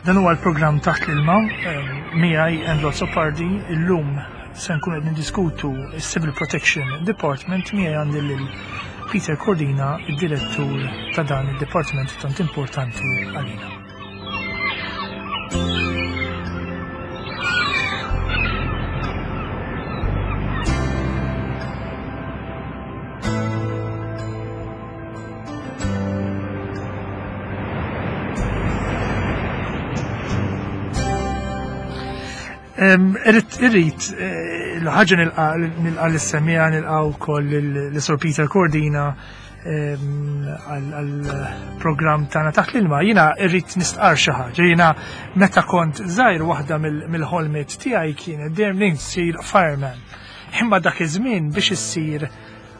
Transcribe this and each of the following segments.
Dan huwa l-programm Taħt l-Ilma miegħi Andrew Azzopardi. Illum se nkunu qed niddiskutu s-Civil Protection Department miegħi għandi lil Peter Cordina, id-direttur ta' dan id-dipartiment tant importanti għalina. Irrit, irrit, eh, l-ħagġa nilqa l-semija, nilqa u koll l-Sir Peter Cordina għal-program tana taħt l-ilma. Jina irrit nistqar xi ħaġa. Jina meta kont żgħir waħda mill-ħolmiet tiegħi kienet dejjem li nsir fireman. Imma dak iż-żmien biex issir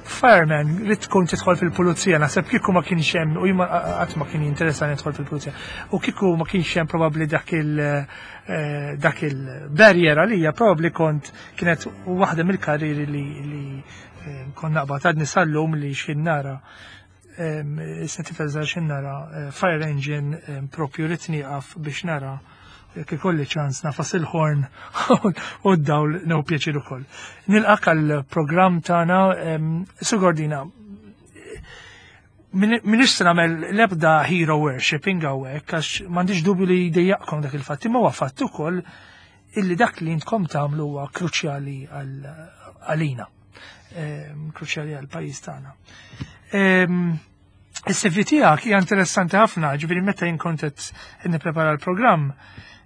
Fireman, li tkun tidħol fil-pulizija, naħseb kieku ma kienx hemm, u jien qatt ma kien jinteressani nidħol fil-pulizija, u kieku ma kienx hemm probabbli dak il eh, dak il-barrier għalija, probabbli kont kienet waħda mill-karriri li, li eh, kont naqbad għadni sal-lum li xin nara Issa tifel żgħar xi nara eh, fire engine propju rid nieqaf biex nara jekk ikolli ċans nafas il-ħorn u d-dawl new pjaċir ukoll. Nilqak għall-programm tagħna Sugordina. Minix se nagħmel l-ebda hero worshipping hawnhekk għax m'għandix dubju li jdejjaqkom dak il-fatt, imma huwa fatt ukoll illi dak li intkom tagħmlu huwa kruċjali għalina. Ehm, kruċjali għal pajjiż tagħna. Ehm, is-CV tiegħek hija interessanti ħafna, ġifieri meta jien kont qed nipprepara l-programm,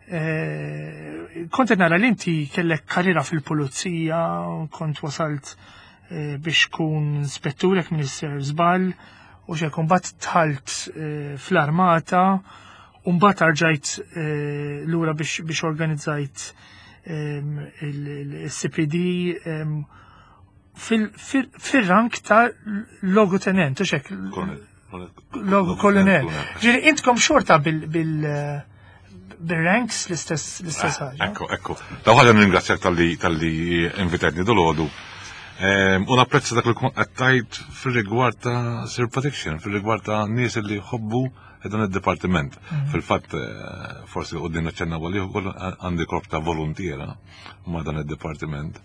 eh, kont qed nara li inti kellek karriera fil-pulizija, kont wasalt eh, biex kun inspettur jekk minister żball, u xejn mbagħad tħalt eh, fl-armata, u mbagħad arġajt lura biex organizzajt il-CPD fil-rank ta' logo tenent, u xek? Logo kolonel. Ġiri, intkom xorta bil- bil-ranks l-istess l-istess ah, ħaġa. Ekku, ekku. Daw ħaġa ningrazzjak tal-li tal-li invitajtni dol-għodu. Ehm, u napprezza dak li qed fil-rigward ta' Sir Protection, fil-rigward ta' nies li jħobbu dan id-dipartiment. Mm. Fil-fatt, eh, forsi u din naċċenna għalih ukoll għandi korp ta' volontiera ma' dan id-dipartiment.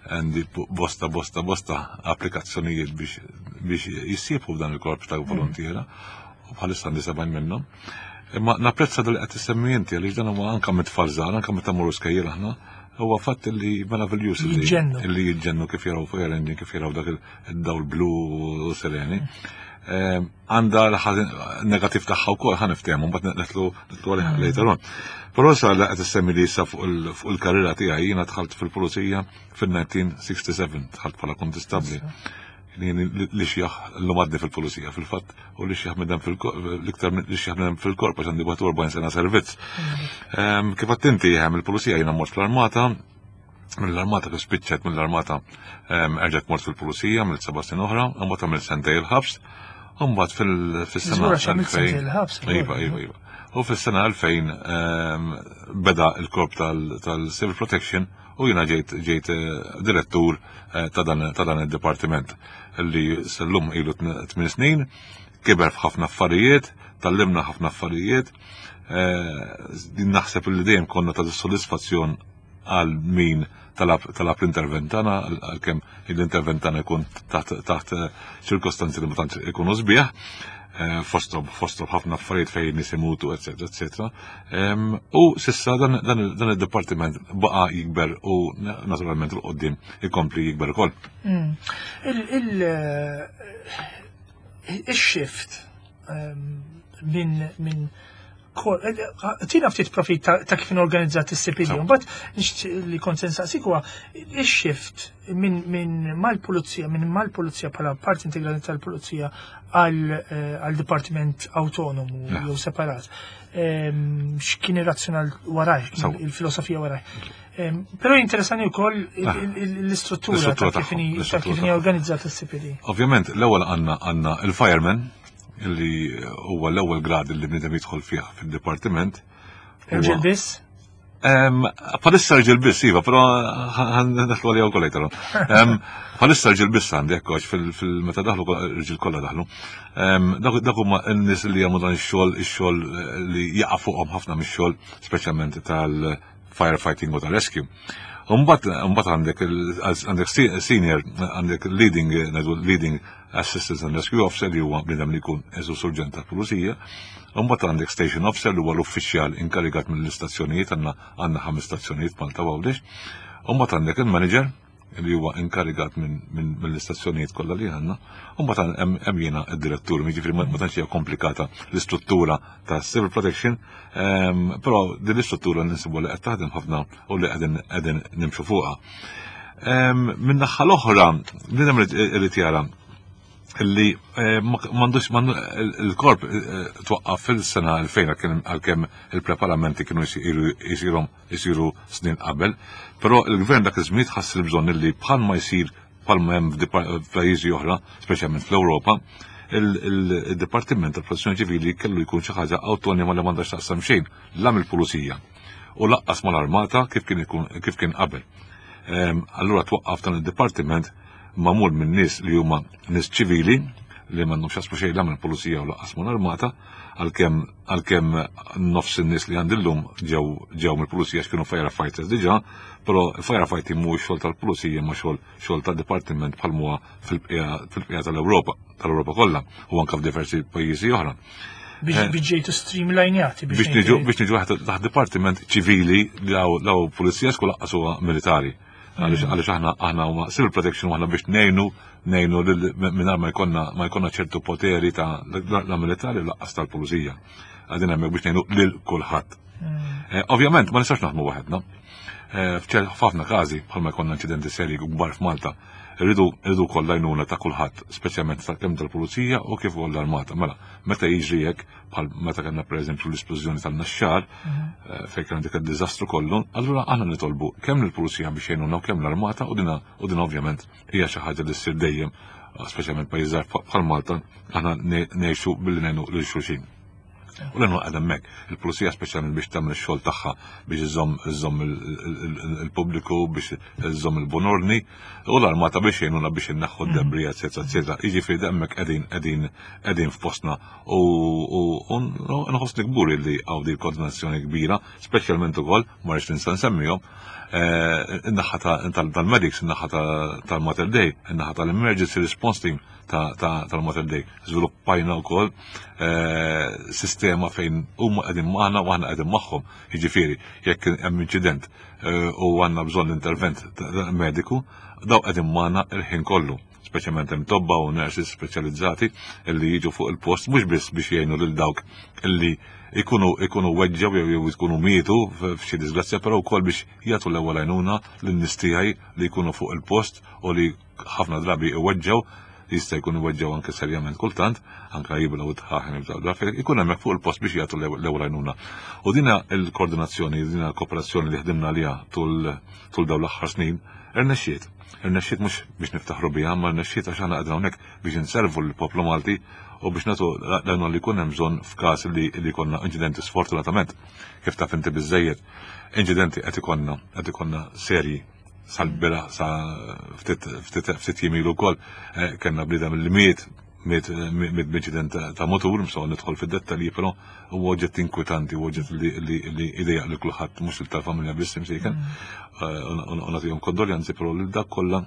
Għandi bosta, bosta, bosta applikazzjonijiet biex, biex jissiebu f'dan il-korp ta' mm. volontiera u bħalissa għandi 70 minnhom. Imma napprezza dal qed issemmi inti għaliex dan huwa anke mit-tfal żgħar, anke meta mmorru skejjel aħna, huwa fatt li meraviljuż li jiġġennu kif jaraw fire engine, kif jaraw dak id-dawl blu u sereni. Mm. Ehm, għandha l-negativ tagħha wkoll ħa niftehmu mbagħad nitlu nitlu għalih mm. later on. Però sa li qed issemmi li issa fuq il-karriera tiegħi jiena dħalt fil-pulizija fil-1967 dħalt bħala kontistabbli. Li xjaħ l-lum għadni fil-pulizija fil-fatt u li xjaħ midem l-iktar li xjaħ midem fil-korp għax għandi 40 sena servizz. Mm. Ehm, kif għattinti hemm il-pulizija jiena mort fl-armata mill-armata kif spiċċet mill-armata ehm, erġgħet mort fil-pulizija mill seba' snin oħra, imbagħad għamilt sentej il-ħabs, imbagħad fis-sena 2000. Iva, iva, iva. U fis-sena 2000 ehm, beda il-korp tal-Civil Protection u jiena ġejt ġejt eh, direttur eh, ta' dan id-dipartiment li sal-lum ilu 8 snin, kiber f'ħafna affarijiet, tallimna ħafna affarijiet, eh, naħseb li dejjem konna ta' sodisfazzjon għal min talab l-intervent tagħna għalkemm l-intervent tagħna jkun taħt eh, ċirkostanzi li ma tantx ikunu sbieħ eh, fosthom fosthom ħafna affarijiet fejn nies imutu, eċetera, eċetera. U sissa dan id-dipartiment baqa' jikber u naturalment il qoddim ikompli jikber ukoll. Mm. Il-shift minn Tina ftit profit ta' kif organizzat is-CPD. Mbagħad li kont se nsaqsik huwa ix-shift minn mal-pulizija, minn mal-pulizija bħala parti integrali tal-pulizija għal eh, dipartiment autonomu jew separat. Ehm, x'kien ir-razzjonal waraj, il-filosofija waraj. Ehm, però interessani wkoll ah. l-istruttura ta' kif inhi organizzat is-CPD. Ovvjament, l-ewwel għandna għandna il-fireman li huwa l-ewwel grad li bniedem jidħol fih fid-dipartiment. Irġiel biss? Bħalissa rġil biss, iva, però ħan għalija wkoll later. Bħalissa rġil biss għandi hekk għax fil-meta daħlu rġil kollha daħlu. Dak huma n-nies li jagħmlu dan ix-xogħol, ix-xogħol li jaqa' fuqhom ħafna mix-xogħol, speċjalment tal-firefighting u tal-rescue. Mbagħad għandek għandek senior, għandek leading, leading Assistance and Rescue Officer li huwa bniedem li jkun eżu surġent tal-pulizija, u mbagħad għandek Station Officer li huwa l-uffiċjal inkarigat mill-istazzjonijiet għandna għandna ħames stazzjonijiet Malta Għawdex, u mbagħad għandek il-manager li huwa inkarigat mill-istazzjonijiet kollha li għandna, u mbagħad hemm jiena d-direttur, jiġifieri ma tantx hija komplikata l-istruttura ta' Civil Protection, però din l-istruttura ninsibu li qed taħdem ħafna u li qegħdin qegħdin nimxu fuqha. Min-naħa l-oħra, bniedem irid jara li eh, m'għandux il-korp eh, twaqqaf fil-sena 2000 għalkemm il-preparamenti kienu jisiru jisiru snin qabel, però il-gvern dak iż-żmien ħass il-bżonn li bħal ma jsir bħal ma hemm f'pajjiżi oħra, speċjalment fl-Ewropa, il-Dipartiment tal-Protezzjoni Ċivili kellu jkun xi ħaġa awtonoma li m'għandha x'taqsam xejn la mill-pulizija u laqqas mal-armata kif kien ikun kif kien qabel. Ehm, allura twaqqaf dan id-dipartiment magħmul minn nies li huma nies ċivili li m'għandhom xasmu xejn la mill-pulizija u laqqas mal-armata għalkemm għalkemm nofs in-nies li għandi llum ġew ġew mill-pulizija x'kienu firefighters diġà, però firefighting mhuwiex xogħol tal-pulizija ma xogħol xogħol tad-dipartiment bħal huwa fil-bqija tal-Ewropa, tal-Ewropa kollha u anke f'diversi pajjiżi oħra. Biex eh, ġejtu streamlinjati. Biex niġu biex niġu taħt dipartiment ċivili li law pulizija skul laqqas huwa militari. Għaliex mm. aħna aħna huma civil protection aħna biex ngħinu ngħinu mingħajr ma jkollna ma jkollna ċertu poteri ta' la militari laqqas tal-pulizija. Għadin hemmhekk biex ngħinu lil kulħadd. Mm. Eh, ovvjament ma nistax naħdmu waħedna. Eh, f'ħafna każi bħalma jkollna inċidenti serji kbar f'Malta, rridu rridu wkoll l-għajnuna ta' kulħadd, speċjalment ta' kemm tal-pulizija u kif ukoll l-armata. Mela, meta jiġri hekk, bħal meta kellna pereżempju l-isplużjoni tal-Naxxar, mhm. eh, fejn kien dik id-diżastru kollu, allura aħna nitolbu kemm lill-pulizija biex jgħinuna u kemm l-armata u dina u din ovvjament hija xi ħaġa li ssir dejjem, speċjalment pajjiż bħal Malta, aħna ngħixu billi ngħinu lil xulxin. U l għad hemmhekk, il-pulizija speċjalment biex tagħmel ix-xogħol tagħha biex iżomm iżomm il-pubbliku biex iżomm il-bunorni u l-armata biex jgħinuna biex inneħħu d-debri, eċetera, eċetera. Jiġifieri hemmhekk qegħdin qegħdin qegħdin f'postna u nħossni kburi li hawn di koordinazzjoni kbira, speċjalment ukoll ma rridx ninsa nsemmihom, eh, in-naħa tal-medics, in-naħa tal-Mater Dei, in-naħa tal-Emergency Response Team tal-Mater Dei. Żviluppajna wkoll eh, sistema fejn huma qegħdin magħna u aħna qegħdin magħhom. Jiġifieri, jekk hemm inċident eh, u għandna bżonn intervent mediku, daw qegħdin magħna il-ħin kollu speċjalment hemm tobba u nurses speċjalizzati illi jiġu fuq il-post mhux biss biex jgħinu lil dawk illi ikunu ikunu weġġew jew jew ikunu mietu f'xi disgrazzja, però wkoll biex jagħtu l-ewwel għajnuna lin-nies tiegħi li jkunu fuq il-post u li ħafna drabi iweġġgħu, jista' jkun iweġġgħu anke serjament kultant, anke jiblaw it-tħaħen jibżgħu drafi, ikun hemmhekk fuq il-post biex jagħtu l-ewwel għajnuna. U dina l-koordinazzjoni, dina l-kooperazzjoni li ħdimna għaliha tul tul dawn l-aħħar snin, irnexxiet. Irnexxiet mhux biex niftaħru biha, ma rnexxiet għax aħna qegħdin hawnhekk biex inservu lill-poplu Malti u biex nagħtu l-għajnuna li jkun hemm bżonn f'każ li li jkollna inċidenti sfortunatament. Kif taf inti biżejjed, inċidenti qed ikollna qed ikollna serji sal-bira sa ftit jimilu wkoll eh, kellna bniedem li miet miet miet b'inċident ta' motur, mso nidħol fid-dettalji, però huwa oġġett inkwetanti, huwa oġġett li idejaq li kulħadd mhux il tal-familja biss imsejken. Mm. Eh, u nagħtihom kondoljanzi, però lil dak kollha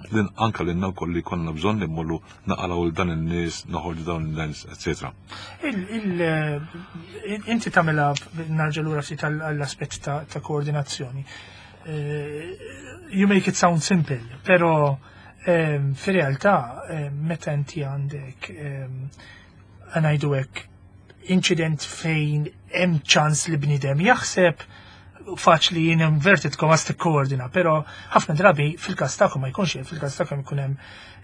anke lilna wkoll li konna bżonn li mmorru naqalgħu l dan in-nies, noħorġu dawn in-nies, eċetera. Eh, inti tagħmilha narġa' lura ftit għall-aspett ta' koordinazzjoni. Eh, you make it sound simple, pero ehm, fir-realtà ehm, meta inti għandek ehm, ngħidu hekk incident fejn hemm ċans li bniedem jaħseb faċli jien inverted commas tikkoordina, pero ħafna drabi fil-każ tagħkom ma jkunx fil-każ tagħkom ikun hemm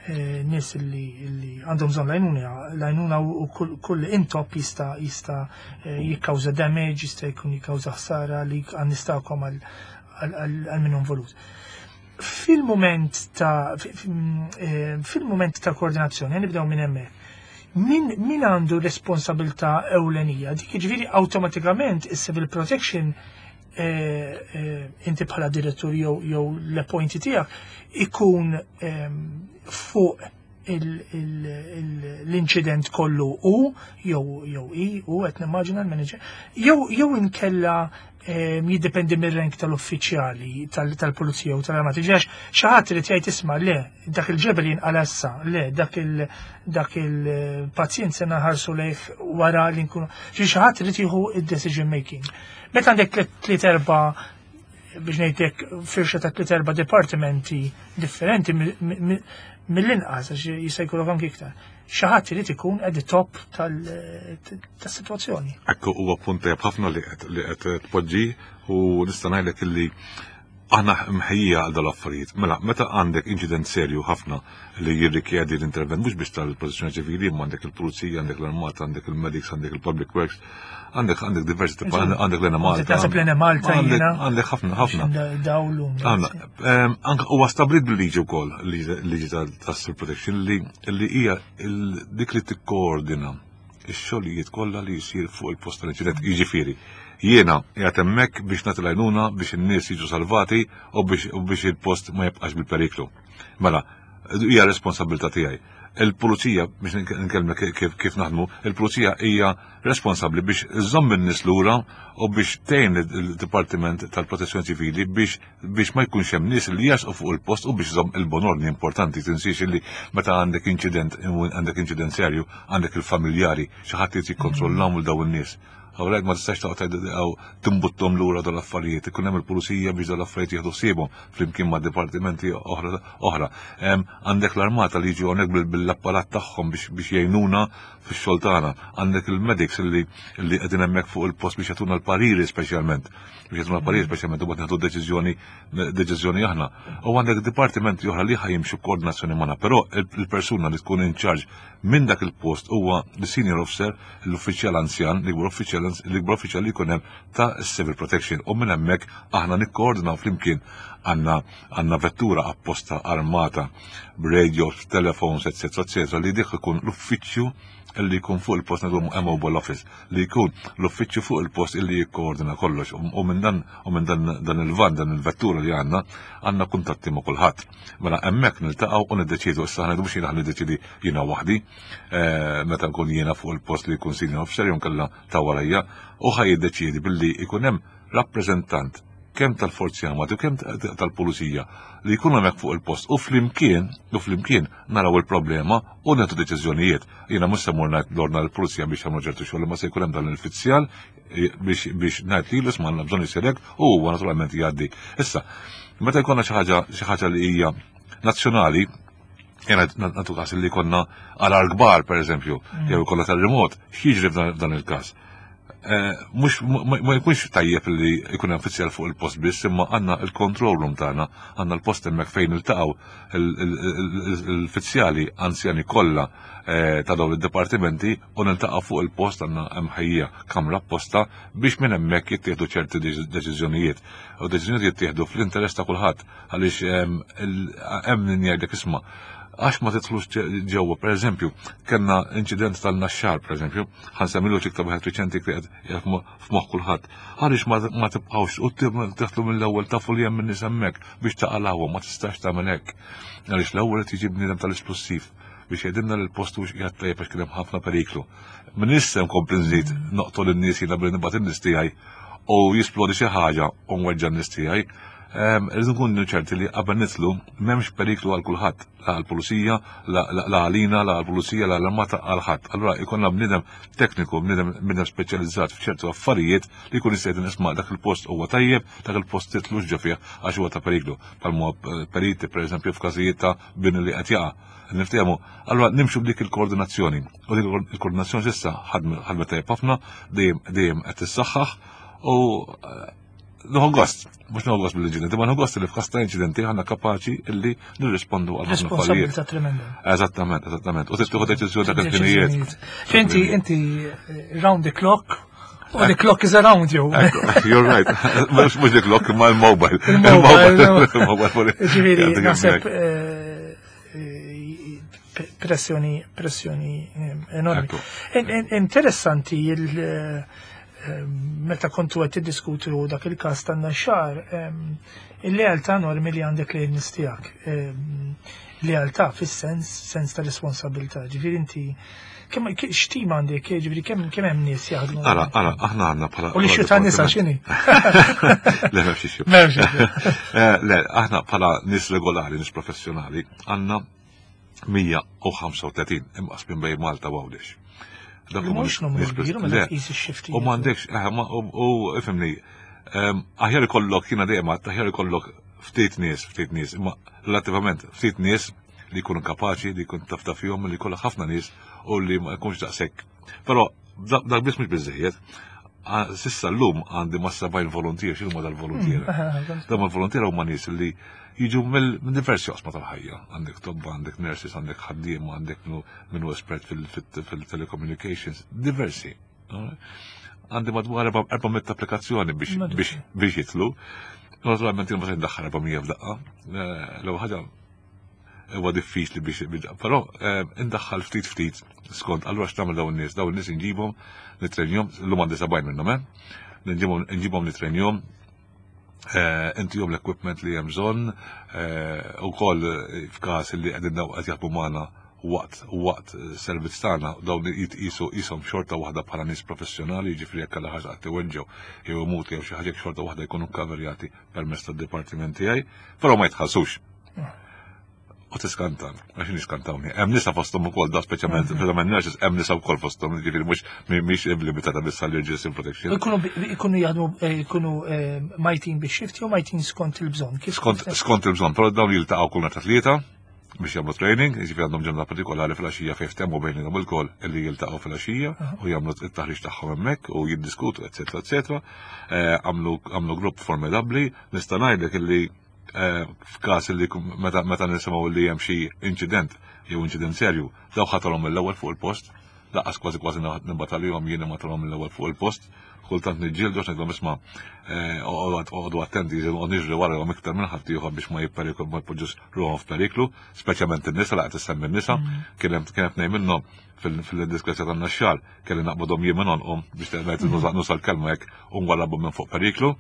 eh, nies li għandhom bżonn lajnuna, lajnuna u kull intop jista' jista' eh, jikkawża damage, jista' jkun jikkawża ħsara li għan-nistakom għal min involut. Fil-moment ta' eh, fil-moment ta' koordinazzjoni, nibdew minn hemmhekk. Min, min għandu responsabilità ewlenija? Dik jiġifieri awtomatikament is-civil protection inti bħala direttur jew l-appointi tiegħek ikun fuq l-inċident kollu u jew jew i u qed nimmaġina l-manager jew inkella jiddependi mir-rank tal-uffiċjali tal-pulizija u tal-armati. Ġax xi ħadd irid jgħid isma' le dak il-ġebel jinqala issa, le dak il dak il-pazjent se naħarsu lejh wara li nkunu. Xi ħadd irid jieħu id-decision making. Meta għandek tliet erba' biex ngħidlek firxa ta' tliet erba' dipartimenti differenti mill-inqas għax jista' jkollok anki iktar. Xi ħadd irid ikun at the top tas-sitwazzjoni. Ekku huwa punt tajjeb ħafna li qed tpoġġi u nista' ngħidlek illi aħna mħejjija għal dal-affarijiet. Mela, meta għandek inċident serju ħafna li jirrikjedi l-intervent mhux biex tal-protezzjoni ċivili, imma għandek il-pulizija, għandek l-armata, għandek il-medics, għandek il-public works, għandek għandek diversi tipa, għandek l Malta. Taħseb l Malta jiena. Għandek ħafna ħafna. Dawlu. Anke huwa stabbilit bil-liġi wkoll, liġi tas-civil protection li hija dik li tikkoordina ix-xogħlijiet kollha li jsir fuq il-post tal-inċident. Jiġifieri, jiena qiegħed hemmhekk biex nagħti l-għajnuna biex in-nies jiġu salvati u biex il-post ma jibqax bil-periklu. Mela, hija responsabilità tiegħi. Il-pulizija, biex nkellmek kif naħdmu, il-pulizija hija responsabbli biex iżżomm in-nies lura u biex tgħin il-Dipartiment tal-Protezzjoni Ċivili biex biex ma jkunx hemm nies li jasqu fuq il-post u biex iżomm il-bon ordni importanti. Tinsiex li meta għandek inċident, għandek inċident serju, għandek il-familjari, xi ħadd irid jikkontrollahom lil dawn in-nies. Hawnhekk ma tistax toqgħod timbuttom lura dawn l-affarijiet, ikun hemm il-pulizija biex dawn l-affarijiet jieħdu ħsiebhom flimkien ma' dipartimenti oħra. Għandek l-armata li jiġu hawnhekk bil-apparat tagħhom biex jgħinuna fix-xogħol tagħna. Għandek il-medics li qegħdin hemmhekk fuq il-post biex jagħtuna l-pariri speċjalment. Biex jagħtuna l-pariri speċjalment u nieħdu deċiżjoni deċiżjoni aħna. U għandek dipartimenti oħra li ħajimxu koordinazzjoni magħna, però il-persuna li tkun in charge minn dak il-post huwa l-senior officer, l-uffiċjal anzjan, l-ikbar uffiċjal li jkun hemm ta' civil protection. U minn hemmhekk aħna nikkoordinaw flimkien għandna għandna vettura apposta armata b'radios, telephones, etc. etc. li dik ikun l-uffiċċju li jkun fuq il-post ngħidu mobile office li jkun l-uffiċċju fuq il-post illi jikkoordina kollox u minn dan u minn dan il-van dan il-vettura li għandna għandna kuntatti ma' kulħadd. Mela hemmhekk niltaqgħu u niddeċiedu issa ħa mhux jiena niddeċiedi jiena waħdi meta nkun jiena fuq il-post li jkun senior officer jew nkella ta' warajja u ħa jiddeċiedi billi jkun hemm rappreżentant kemm tal-Forzi Armati u kemm tal-Pulizija li jkunu hemmhekk fuq il-post u flimkien u flimkien naraw il-problema u nieħdu deċiżjonijiet. Jiena mhux se mmur ngħid l-ordna l-Pulizija biex jagħmlu ċertu xogħol, imma se jkun hemm dan l-uffiċjal biex ngħid lilu isma' għandna bżonn isir hekk u huwa naturalment jgħaddi. Issa, meta jkollna xi ħaġa xi ħaġa li hija nazzjonali, jena nagħtu każ li konna għarar kbar, per eżempju, jew kollha terremot, x'jiġri f'dan il-każ? Mhux ma jkunx tajjeb li jkun hemm uffiċjal fuq il-post biss, imma għandna il-control room tagħna, għandna l-post hemmhekk fejn iltaqgħu l-uffiċjali anzjani kollha ta' dawn id-dipartimenti u niltaqgħu fuq il-post għandna hemm ħejja kamra apposta biex minn hemmhekk jittieħdu ċerti deċiżjonijiet. U deċiżjonijiet jittieħdu fl-interess ta' kulħadd għaliex hemm min jgħidlek isma' għax ma tidħlux ġewwa, per eżempju, kellna inċident tal-Naxxar, per eżempju, ħansemmilu xi iktar wieħed riċenti li qed f'moħħ kulħadd. Għaliex ma tibqgħux u tidħlu mill-ewwel tafu li hemm in-nies hemmhekk biex taqalgħuhom, ma tistax tagħmel hekk. Għaliex l-ewwel qed jiġi bniedem tal-isplussiv biex jgħidilna li l-post mhux qiegħed tajjeb għax kien hemm ħafna periklu. Min issa nkompli nżid noqtol in-nies jiena billi nibgħat in-nies tiegħi u jisplodi xi ħaġa u nweġġa' n-nies tiegħi. Irridu nkunu ċerti li qabel nidħlu m'hemmx periklu għal kulħadd, la għall-pulizija, la għalina, la għall-pulizija, la għall-armata, għal ħadd. Allura jkollna bniedem tekniku, bniedem speċjalizzat f'ċertu affarijiet li jkun jista' jgħidilna isma' dak il-post huwa tajjeb, dak il-post titlux ġo fih għax huwa ta' periklu. Bħalma periti pereżempju f'każijiet ta' bini li qed jaqa'. Niftehmu, allura nimxu b'dik il-koordinazzjoni. U dik il-koordinazzjoni s'issa ħadmet tajjeb ħafna, dejjem qed tissaħħaħ u nieħu gost, mhux nieħu gost bil-inċidenti, ma nieħu gost li f'każ ta' inċidenti aħna kapaċi illi nirrispondu għal ħafna affarijiet. Responsabilità tremenda. Eżattament, eżattament. U tieħu deċiżjoni ta' ħinijiet. Inti, inti round the clock, u the clock is around you. You're right. Mhux the clock, ma l-mobile. Il-mobile. Ġifieri, naħseb pressjoni, pressjoni enormi. Interessanti il- Meta kontu qed tiddiskutu dak il-każ tan-naxxar, il-lealtà normi li għandek lejn nies tiegħek. Lealtà fis-sens sens ta' responsabilità. Ġifieri inti kemm x'tim għandek, ġifieri kemm kemm hemm nies jaħdmu. Ara, ara, aħna għandna bħala. U li xi ta' nisa x'inhi? Le m'hemmx issue. M'hemmx eh, Le, aħna bħala nies regolari, nies professjonali, għandna 135 imqasmin bejn Malta u Għawdex. Dak mhux numru kbir meta tqis ix-xifti. U m'għandekx, eh, u ifhimni, ehm, aħjar ikollok jiena dejjem aħjar ikollok ftit nies, ftit nies, imma relattivament ftit nies li jkunu kapaċi, li jkun taf fihom, li jkollok ħafna nies u li ma jkunx daqshekk. Però dak biss mhux biżejjed. Sissa llum għandi ma' 70 volontier, x'inhuma dal-volontier? Mm, Dawn il-volontier huma nies li jiġu minn diversi oqsma tal-ħajja. Għandek tobba, għandek nurses, għandek ħaddiema, għandek minnu espert fil-telecommunications, diversi. Għandi madwar 400 applikazzjoni biex jitlu. Naturalment jien ma se ndaħħal 400 f'daqqa. Eh, l-ewwel ħaġa huwa diffiċli biex però eh, indaħħal ftit ftit skont allura x'tagħmel dawn in-nies, dawn in-nies inġibhom nitrenjhom, llum għandi 70 minnhom, eh? Nġibhom nitrenjhom, eh, intihom l-equipment li hemm bżonn eh, ukoll f'każ li qegħdin daw qed jaħdmu magħna waqt waqt servizz tagħna dawn jitqisu qishom xorta waħda bħala nies professjonali, jiġifieri jekk alla ħaġa qatt iweġġew jew imutu jew xi ħaġa xorta waħda jkunu kkaverjati permezz tad-dipartiment tiegħi, però ma jitħallsux. U tiskanta, għax niskantawni. Hemm nisa fosthom ukoll da speċjalment mhm. speċjalment nurses hemm nisa wkoll fosthom, jiġifieri mhux mhix limitata biss għall-irġiel sin protection. Ikunu jaħdmu eh, ikunu eh, majtin biex shift jew majtin skont il-bżonn. Skont skont il-bżonn, però dawn jiltaqgħu kull ta' tlieta biex jagħmlu training, jiġifieri għandhom ġurnata partikolari fil-għaxija fejn ftehmu bejniethom ilkoll illi jiltaqgħu fil-għaxija u jagħmlu t-taħriġ tagħhom hemmhekk u jiddiskutu, eċetera, eċetera. Eh, għamlu grupp formidabbli, nista' ngħidlek illi eh, f'każ li meta meta nisimgħu li hemm xi inċident jew inċident serju, daw ħatalhom mill-ewwel fuq il-post, laqas kważi kważi nibgħat għalihom jien imgħatalhom mill-ewwel fuq il-post, kultant niġġieldu għax ngħidlhom isma' eh, oqgħodu attenti, oqgħod niġri warahom iktar minn ħadd ieħor biex ma jipperiklu ma jpoġġux ruħhom f'periklu, speċjalment in-nisa laqgħet issemmi n-nisa, mm. kien hemm kien tnejn minnhom fil-disgrazja tan-naxxar kelli naqbadhom jien minn għonqhom biex ngħid nuża l-kelma hekk u nwarrabhom minn fuq periklu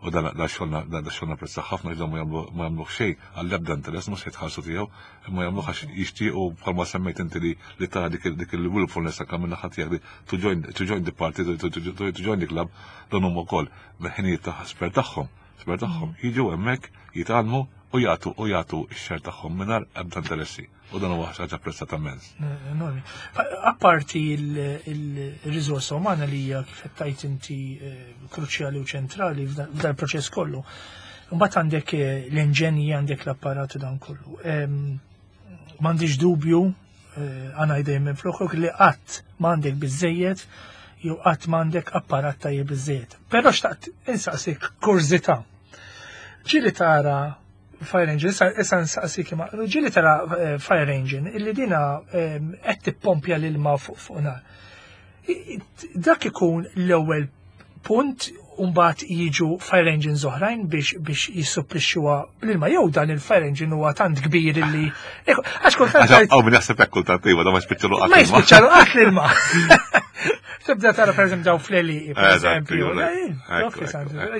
u dan xogħolna dan xogħolna prezza ħafna għax ma jagħmluh xejn għall-ebda interess mhux se jitħallsu tiegħu imma jagħmluh għax jixtiequ bħalma semmejt inti li li tara dik dik il-willfulness anke minn naħa tiegħek li to join to join the party to, to, to, to join the club dan huma wkoll bil-ħinijiet ta' spare tagħhom spare tagħhom jiġu hemmhekk jitgħallmu u jagħtu u jagħtu x-share tagħhom mingħajr ebda interessi. U dan huwa ħaġa apprezzata immens. Enormi. Apparti il-riżorsa umana li hija kif qed tgħid inti eh, kruċjali u ċentrali f'dan il-proċess kollu. Mbagħad għandek eh, l-inġenji, għandek l-apparat u dan kollu. M'għandix dubju eh, għana jdejjem minn floħok li qatt m'għandek biżejjed jew qatt m'għandek apparat tajjeb biżejjed. Però xtaqt insaqsik kurżità. Ġieli tara Fire Engine, issa nsaqsik imma, ġieli tara eh, Fire Engine illi dina eh, qed tippompja l-ilma fuq nar. Dak ikun l-ewwel punt Umbat jiġu fire engines oħrajn biex biex jissupplixxuha bl-ilma jew dan il-fire engine huwa tant kbir illi għax kultant Għaw min jaħseb hekk kultant iva da ma jispiċċalu qatt. Ma jispiċċalu qatt l-ilma. Tibda tara per eżempju daw fl-eli, per eżempju.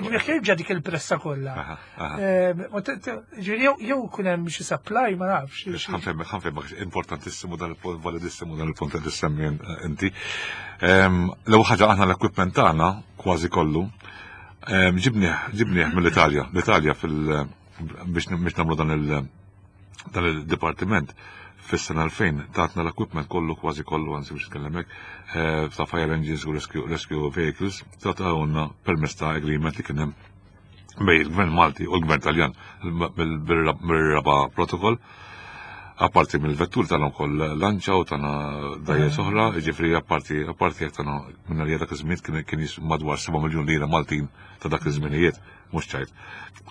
Ġifieri dik il-pressa kollha. Ġifieri jew kun hemm xi supply ma nafx. Ħanfem, ħanfem, importantissimu dan il-punt, validissimu dan il-punt li semmi inti. L-ewwel ħaġa aħna l-equipment tagħna kważi kollu ġibnieh, ġibnieh mill-Italja. L-Italja fil biex nagħmlu dan il- dan il-dipartiment fis-sena 2000 tatna l-equipment kollu kważi kollu anzi biex nitkellem hekk eh, ta' fire engines u rescue, rescue vehicles tatawna permezz ta' agreement li kien hemm bej il-Gvern Malti u l-Gvern Taljan mir-raba protokoll. Apparti mill-vettur tagħna wkoll lanċa u tagħna dajjes mm. oħra, jiġifieri apparti apparti jekk tagħna minn għalija dak iż-żmien kien kien madwar 7 miljun lira Maltin ta' dak iż-żminijiet, mhux ċajt.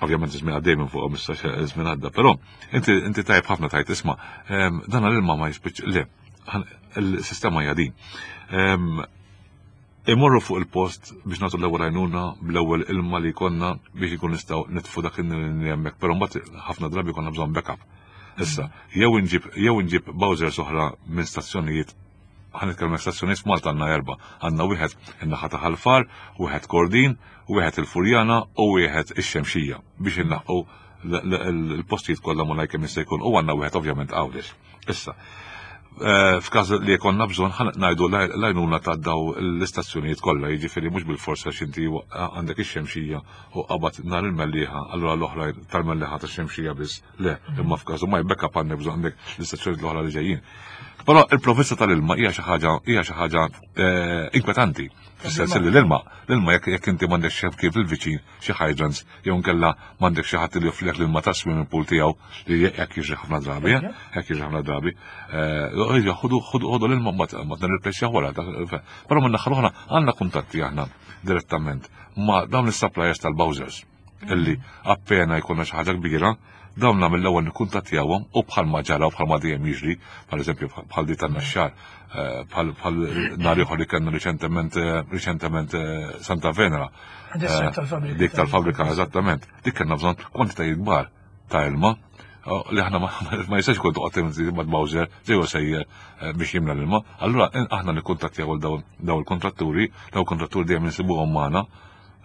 Ovvjament iż-żmien għaddej minn fuqhom issa żmien għadda, però inti inti tajb ħafna tajt isma' ehm, dan l-ilma ma jispiċ le, il-sistema hija din. Ehm, Imorru fuq il-post biex nagħtu l-ewwel għajnuna bl-ewwel ilma li jkollna biex ikun nistgħu nitfu dak li hemmhekk, però mbagħad ħafna drabi jkollna bżonn backup. Issa, jew inġib jew inġib bowsers oħra minn stazzjonijiet Ħa nitkellmu stazzjonijiet f'Malta għandna erba'. Għandna wieħed in-naħa ta' Ħal Far, wieħed Kordin, wieħed il-Furjana u wieħed ix-Xemxija biex inlaħqu l-postijiet kollha malajr kemm jista' jkun u għandna wieħed ovvjament Għawdex. Issa, eh, f'każ li jkollna bżonn ħa ngħidu l-għajnuna ta' daw l-istazzjonijiet kollha, jiġifieri mhux bil-forsa x'inti għandek ix-Xemxija u qabad nhar il-Mellieħa, allura l-oħra tal-Mellieħa tax-Xemxija biss. Le, imma f'każu ma backup għandek bżonn għandek l-istazzjonijiet l-oħra li ġejjin. Però il-provvista tal-ilma hija xi ħaġa hija xi ħaġa eh, inkwetanti. Fis-sens li l-ilma, l-ilma jekk jekk inti m'għandekx xi kif il-viċin xi hydrants jew nkella m'għandek xi ħadd li joffrilek l-ilma ta' swimming pool tiegħu li hekk jiġri ħafna drabi, eh, hekk jiġri ħafna drabi. Eh, ħudu ħudu l-ilma mbagħad mbagħad nirreplacjaw wara. Però minn naħa l-oħra għandna kuntatti aħna direttament ma' dawn is-suppliers tal-Bowsers. illi appena jkollna xi ħaġa kbira, dawn mill-ewwel nikkuntattjawhom u bħalma ġara u bħalma dejjem jiġri, bħal eżempju bħal di tan-naxxar, eh, bħal nhar ieħor li kellna riċentement eh, riċentement eh, Santa Venera. Dik tal-fabbrika eżattament. Dik kellna bżonn kwantitajiet kbar ta' ilma li aħna ma jistax ikun toqgħod ma' Bowser ġejju sejjer biex jimla l-ilma. Allura aħna nikkuntattjaw daw il-kontratturi, daw il-kontratturi dejjem insibuhom magħna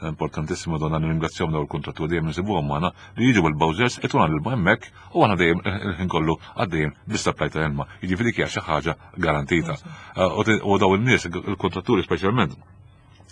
Importantissima donna nirringrazzjahom dawn il-kuntratturi dejjem insibuhom magħna li jiġu bil-bowsers ituna l-ilma hemmhekk u aħna dejjem il-ħin kollu għaddejjem bis-supply ta' ilma. Jiġifieri dik hija xi ħaġa garantita. Eh, u dawn in-nies, il-kuntratturi speċjalment,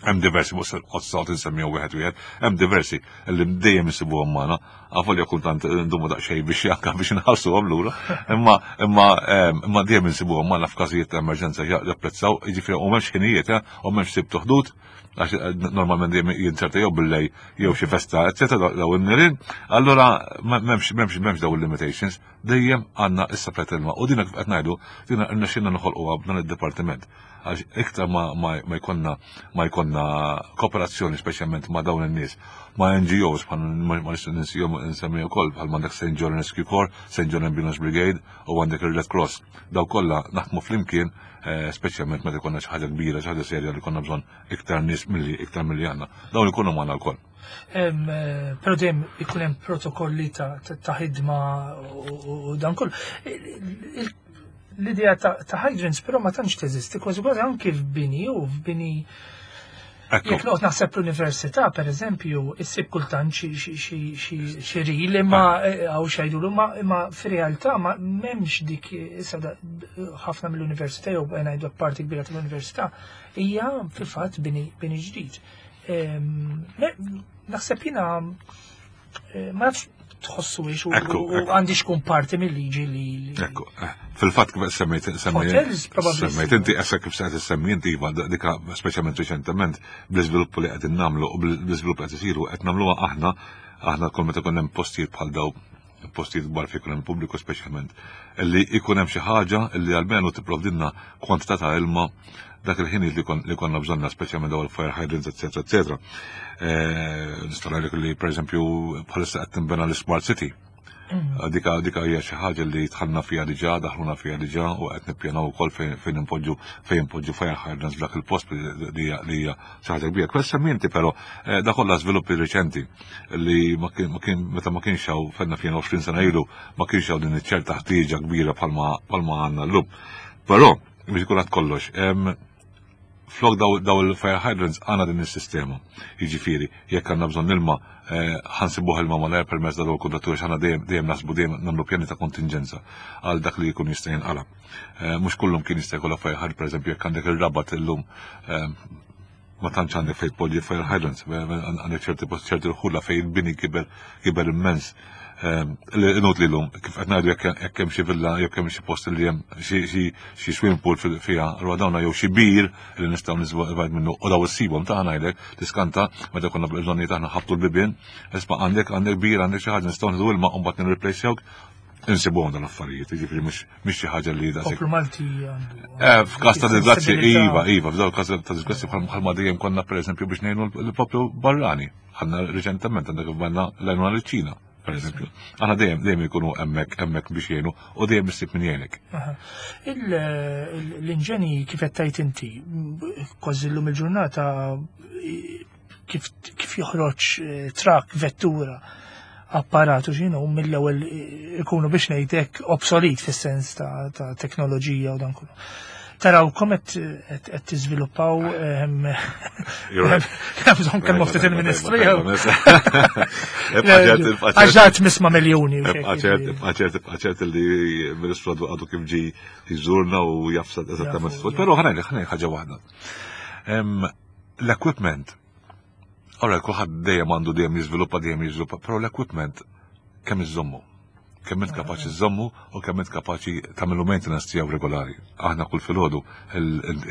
hemm diversi mhux qod insemmihom wieħed wieħed, hemm diversi li dejjem insibuhom magħna, għafolja kultant ndumu daqsxejn biex janka biex nħallsuhom lura, imma imma eh, imma dejjem insibuhom magħna f'każijiet ta' emerġenza japprezzaw, jiġifieri u m'hemmx ħinijiet, eh, u m'hemmx sib tuħdud, għax eh, normalment dejjem jinserta jew billej jew xi festa, eċetera, daw in-nirien, allura m'hemmx m'hemmx m'hemmx daw il-limitations, dejjem għandna issa plet ilma. U dina kif qed ngħidu, dina rnexxinna noħolquha b'dan id-dipartiment. Għax iktar ma, ma, ma jkollna ma jkollna kooperazzjoni speċjalment ma' dawn in-nies, ma' NGOs bħal ma ninsihom insemmi wkoll bħal m'għandek St. John Rescue Corps, St. John Ambulance Brigade u għandek il-Red Cross. Daw kollha naħdmu flimkien Eh, speċjalment meta jkollna xi ħaġa kbira, xi ħaġa serja li konna bżonn iktar nies milli iktar milli għandna. Dawn ikunu magħna wkoll. Eh, però dejjem ikun hemm protokolli ta' ħidma u dan kollu. L-idea ta' hydrants però ma tantx teżisti, kważi kważi anki f'bini u f'bini Jekk noqgħod naħseb l-università, per eżempju, issib kultant xi ril imma ah. eh, hawn xajdulu imma fir-realtà ma m'hemmx dik issa ħafna mill-università jew ngħidu parti kbira tal-università hija fil-fatt bini ġdid. Ehm, naħseb jiena Eh, ma nafx tħossu ix u għandi xkun parti mill-liġi li. Ekku, eh, fil-fatt kif semmejt semmejt inti essa kif se semmi inti iva dika speċjalment riċentement bl-iżviluppu li qegħdin nagħmlu u bl-iżvilupp qed isiru qed nagħmluha aħna aħna kull meta konna hemm postijiet bħal daw postijiet kbar fejn hemm pubbliku speċjalment li jkun hemm xi ħaġa li almenu tipprovdilna kwantità ta' ilma dak il-ħin li konna bżonna speċjalment daw il-fire hydrants, eccetera, eccetera. Eh, nista' ngħidlek li pereżempju bħalissa qed tinbena l-Smart City. Mm. Dika dika hija xi ħaġa li dħalna fiha diġà, daħluna fiha diġà u qed nippjanaw ukoll fejn inpoġġu fejn inpoġġu fire hydrants f'dak il-post li hija xi ħaġa kbira. Kwesta minti però eh, da kollha żviluppi riċenti li ma kien meta ma kienx hawn fenna fien 20 sena ilu ma kienx hawn din iċ-ċerta ħtieġa kbira bħalma għandna llum. Però biex ikun kollox, flok daw il-fire hydrants għandna din is-sistema. Jiġifieri, jekk għandna bżonn ilma, eh, ħansibuh ilma malajr permezz daw il-kuntratturi x'aħna dejjem dejjem naħsbu dejjem nagħmlu pjani ta' kontinġenza għal dak li jkun jista' jinqala. Eh, mhux kullum kien jista' jkollha fire hydrant, pereżempju jekk għandek ir-rabat illum eh, ma tantx għandek fejn tpoġġi fire hydrants, għandek ċerti post ċerti rħula fejn il-bini kiber kiber immens. Ehm, inut li l-lum, kif qed ngħidu jekk hemm xi villa, jekk hemm xi post li hemm xi swimming pool fiha, allura dawna jew xi bir li nistgħu niżvajt minnu u daw issibhom ta' ngħidlek tiskanta meta konna bżonnijiet aħna ħabtu l-bibien, isma' għandek għandek bir għandek xi ħaġa nistgħu nieħdu ilma u mbagħad nirreplacejawk insibuhom dan l-affarijiet, jiġifieri mhux mhix xi ħaġa li daqshekk. Poplu Malti għandu. Eh, f'każ ta' disgrazzi, iva, iva, f'dawn każ ta' disgrazzi bħalma dejjem konna pereżempju biex ngħinu l-poplu barrani. Għandna riċentement għandek banna l-għajnuna liċ-Ċina, pereżempju. Aħna dejjem dejjem ikunu hemmhekk hemmhekk biex jgħinu u dejjem issib min jgħinek. L-inġeni kif qed tgħid inti, kważi llum il-ġurnata kif, kif joħroġ eh, trak, vettura, apparatu x'inhu mill-ewwel eh, ikunu biex ngħidlek obsolit fis-sens ta', ta teknoloġija u dan kollu. Tarawkom qed tiżviluppaw ehm, bżonn kemm ftit il-Ministru jew. Għax ġat misma' miljuni. Ibqa' ċert li l-Ministru għadu kif ġi jżurna u jafsad eżattament. Però ħanajli ħaġa waħda. L-equipment Ora, kulħadd dejjem għandu dejjem jiżviluppa, dejjem jiżviluppa, però l-equipment kemm iżommu. Kemm int kapaċi żommu u kemm int kapaċi tagħmlu maintenance tiegħu regolari. Aħna kull filgħodu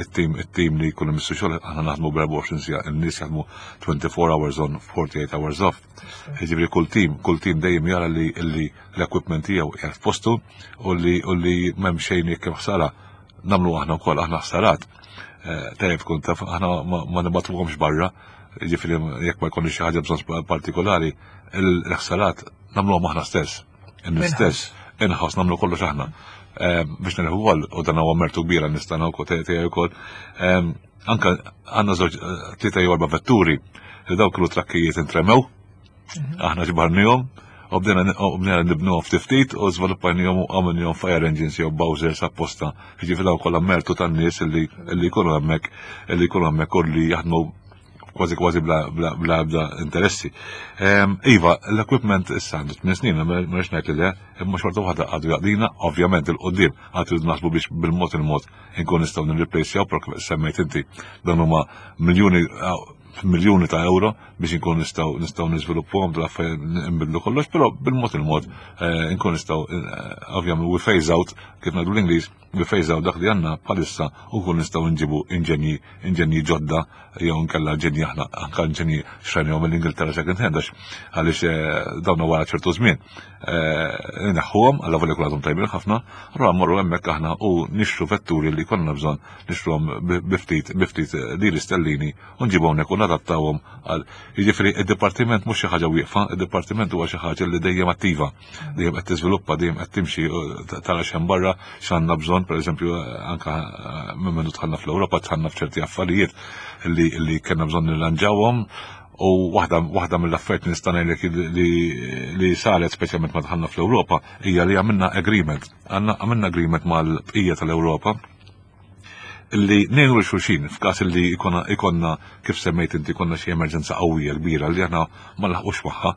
it-tim it-tim li jkun imissu xogħol aħna naħdmu b'24 siegħa, in-nies jaħdmu 24 hours on, 48 hours off. Jiġifieri kull tim, kull tim dejjem jara li l-equipment tiegħu qiegħed f'postu u li u li m'hemm xejn jekk hemm ħsara nagħmlu aħna wkoll aħna ħsarat. Eh, tajjeb tkun taf aħna ma nibgħatuhomx barra, jiġifieri jekk ma jkollniex xi ħaġa bżonn partikolari, il-ħsarat nagħmluhom aħna stess. In-stess, in-house nagħmlu kollox aħna. Eh, biex nirħu wkoll u dan huwa mertu kbira nistana wkoll tiegħi wkoll. Eh, anka għandna żewġ tlieta jew erba' vetturi li dawk kienu trakkijiet intremew Aħna ġbarnihom u bdejna nibnuhom ftit ftit u żviluppajnihom u għamilnihom fire engines jew bowsers apposta. Jiġifieri dawn kollha mertu tan-nies li jkunu hemmhekk li jkunu hemmhekk u li jaħdmu kważi kważi bla bla bla interessi. Ehm, iva, l-equipment issa għandu 8 snin, ma rridx ngħid li le, imma xorta waħda għadu jaqdina, ovvjament il-qudiem għad rridu naħsbu biex bil-mod il-mod inkun nistgħu nirreplacejaw, però semmejt inti dan huma miljuni miljuni ta' euro biex inkun nistgħu nistgħu niżviluppuhom dal affarijiet nbidlu kollox, però bil-mod il-mod eh, inkun nistgħu eh, ovvjament we phase out kif ngħidu l-Ingliż, we phase out dak li għandna bħalissa u nkun nistgħu nġibu inġenji inġenji ġodda jew nkella ġenji aħna anke inġenji xrajnihom mill-Ingilterra second hand għax għaliex eh, dawn wara ċertu żmien. Neħħuhom għal volja għadhom tajbin ħafna, allura mmorru hemmhekk aħna u nixtru vetturi li konna bżonn nixtruhom biftit biftit liri stellini u nġibu hawnhekk u nadattawhom għal. Jiġifieri id-dipartiment mhux xi ħaġa wieqfa, id-dipartiment huwa xi ħaġa li dejjem attiva, dejjem qed tiżviluppa, dejjem qed timxi tara x'hemm barra x'għandna bżonn, pereżempju anke minn mindu dħalna fl-Ewropa dħalna f'ċerti affarijiet li li kellna bżonn nirranġawhom u waħda waħda mill-affarijiet li nista' ngħidlek li li saret speċjalment ma dħalna fl-Ewropa hija li għamilna agreement. Għamilna agreement mal-bqija tal-Ewropa li ngħinu lil xulxin f'każ li ikonna kif semmejt inti konna xi emerġenza qawwija kbira li aħna ma laħqux magħha.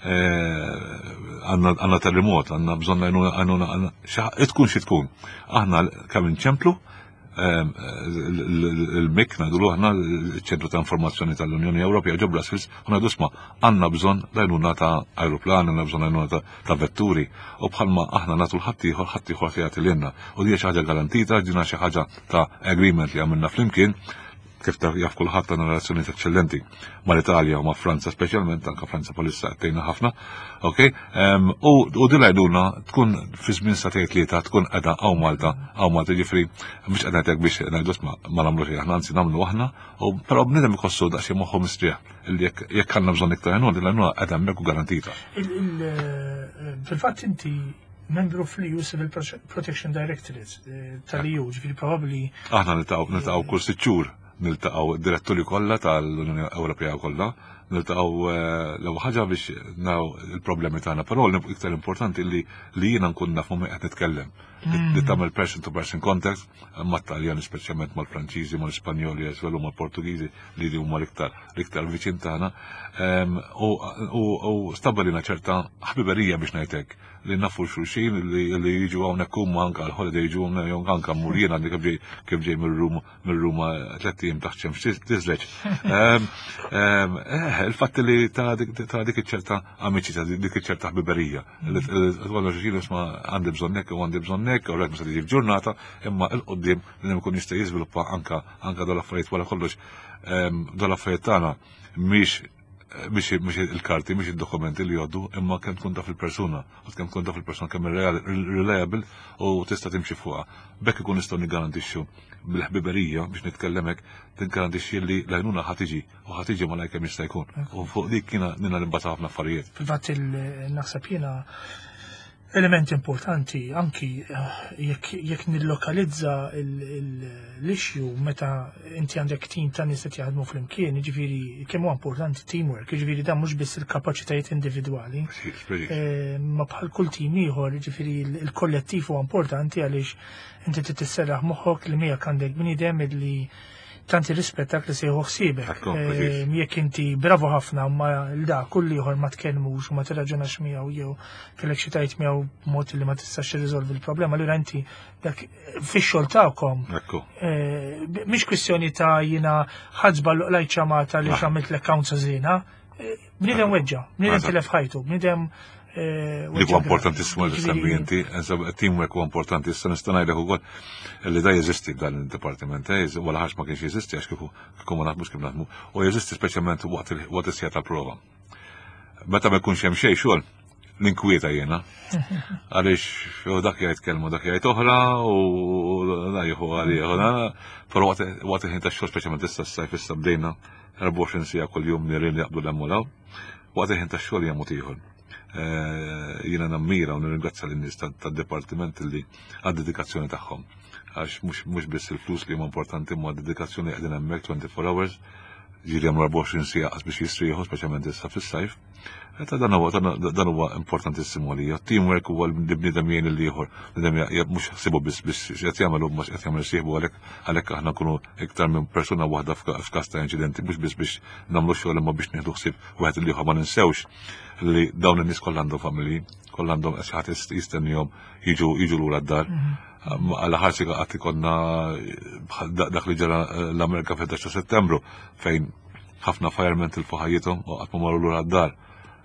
Eh, għandna terremot, għandna bżonn għajnuna, tkun xi tkun. Aħna kemm inċemplu ehm, il-MIC, ngħidulu aħna l-ċentru ta' informazzjoni tal-Unjoni Ewropea ġo Brussels, u ngħidu sma' għandna bżonn l-għajnuna ta' aeroplan, għandna bżonn l-għajnuna ta' vetturi u bħalma aħna nagħtu l-ħaddieħor, ħaddieħor jagħti lilna. U di xi ħaġa garantita, ġina xi ħaġa ta' agreement li għamilna flimkien, kif ta' jaf kulħadd għandna relazzjonijiet eċċellenti mal-Italja u ma' Franza speċjalment, anka Franza bħalissa qed tgħinna ħafna. Ok? U u din l-għajnuna tkun fi żmien sagħtejn tlieta tkun qiegħda hawn Malta, hawn Malta ġifri mhux qed ngħidlek biex ngħidu isma' ma nagħmlu xejn aħna, anzi nagħmlu aħna, u però bniedem iħossu daqsxejn moħħu mistrieħ li jekk għandna bżonn iktar għajnuna, din l-għajnuna qiegħda hemmhekk u garantita. Fil-fatt inti membru fl-EU Civil Protection Directorate eh, tal-EU, ġifieri probabbli. Aħna niltaqgħu niltaqgħu kull sitt xhur, niltaqgħu diretturi kollha tal-Unjoni Ewropea kollha, niltaqgħu eh, l-ewwel ħaġa biex naraw il-problemi tagħna, però l-iktar importanti li li jiena nkun naf ma' qed nitkellem. Li tagħmel person to person contact mat-Taljani speċjalment mal-Franċiżi, mal-Ispanjoli as well u mal-Portugiżi li huma l-iktar l-iktar viċin tagħna. Ehm, u stabbilina ċerta ħbiberija biex ngħidlek li nafu xulxin li jiġu hawnhekk huma anke għal-holiday jiġu jew anke mmur jien għandi kif ġej kif ġej mir-Ruma tlett ijiem taħt xemx tiżleġ. Ehm, ehm, eh, il-fatt li ta' dik iċ-ċerta amiċi ta' dik iċ-ċerta ħbiberija. Li tgħollu xulxin isma' għandi bżonnek u għandi bżonnek u rajt ma se tiġi f'ġurnata imma il-qudiem li nkun jista' jiżviluppa anka anka dal-affarijiet wara kollox ehm, dal-affarijiet tagħna mhix mhix il-karti, mhix id-dokumenti li jgħoddu, imma kemm tkun taf il-persuna, u kemm tkun taf il-persuna kemm reliable u tista' timxi fuqha. Bekk ikun nistgħu niggarantixxu bil-ħbiberija biex nitkellem hekk, tiggarantixxi li l-għajnuna ħa tiġi u ħa tiġi malajr kemm jista' jkun. U fuq dik kiena nina nimbata ħafna affarijiet. Fil-fatt naħseb jiena Element importanti anki jekk nillokalizza l-issue meta inti għandek tim ta' nies qed jaħdmu flimkien, jiġifieri kemm huwa importanti teamwork, jiġifieri dan mhux biss il-kapaċitajiet individwali. Ma bħal kull tim ieħor, jiġifieri l-kollettiv huwa importanti għaliex inti trid tisserraħ moħħok li miegħek għandek bniedem illi tant irrispettak li se jieħu ħsiebek. Jekk inti bravu ħafna ma l-da kull ieħor ma tkellmux u ma tirraġunax miegħu jew kellek xi tajt miegħu b'mod li ma tistax tirriżolvi l-problema, allura inti dak fix-xogħol tagħkom. Mhix kwistjoni ta' jiena ħadd lajt ċamata li x'għamilt l-account żiena. Bniedem weġġa, bniedem tilef ħajtu, bniedem Dik huwa importantissimo li semmi inti, teamwork huwa importanti, issa nista' ngħidlek ukoll li da jeżisti dan id-dipartiment, wara ħax ma kienx jeżisti għax kieku kieku ma naħdmux kif naħdmu, u jeżisti speċjalment waqt is-sija tal-prova. Meta ma jkunx hemm xejn xogħol, ninkwieta jiena. Għaliex jew dak jgħid kelma dak jgħid oħra u da jieħu għalih, però waqt il-ħin tax-xogħol speċjalment issa s-sajf issa bdejna 24 siegħa kuljum nirien li jaqbdu l-hemm u l-hawn, waqt il-ħin tax-xogħol hija mod ieħor. Jiena nammira u nirringrazzja lin-nies tad-dipartiment li għad-dedikazzjoni tagħhom. Għax mhux biss il-flus li huma importanti imma d-dedikazzjoni qegħdin hemmhekk 24 hours, ġieli jagħmlu 24 siegħa qas biex jistrieħu, speċjalment issa fis-sajf. Ta' dan huwa dan huwa importantissimu għalija. Teamwork huwa li bniedem jgħin lill-ieħor, bniedem mhux ħsibu biss biex x'qed jagħmel u mhux qed jagħmel sieħbu għalhekk għalhekk aħna nkunu iktar minn persuna waħda f'każ ta' inċidenti mhux biss biex nagħmlu xogħol imma biex nieħdu ħsieb wieħed lill-ieħor ma ninsewx li dawn in-nies kollha għandhom familji, kollha għandhom xi ħadd jistennihom jiġu jiġu lura d-dar. Għala ħarsi qatt ikollna dak li ġara l-Amerika fil-11 ta' Settembru fejn ħafna firemen tilfu ħajjithom u qatt ma marru lura d-dar.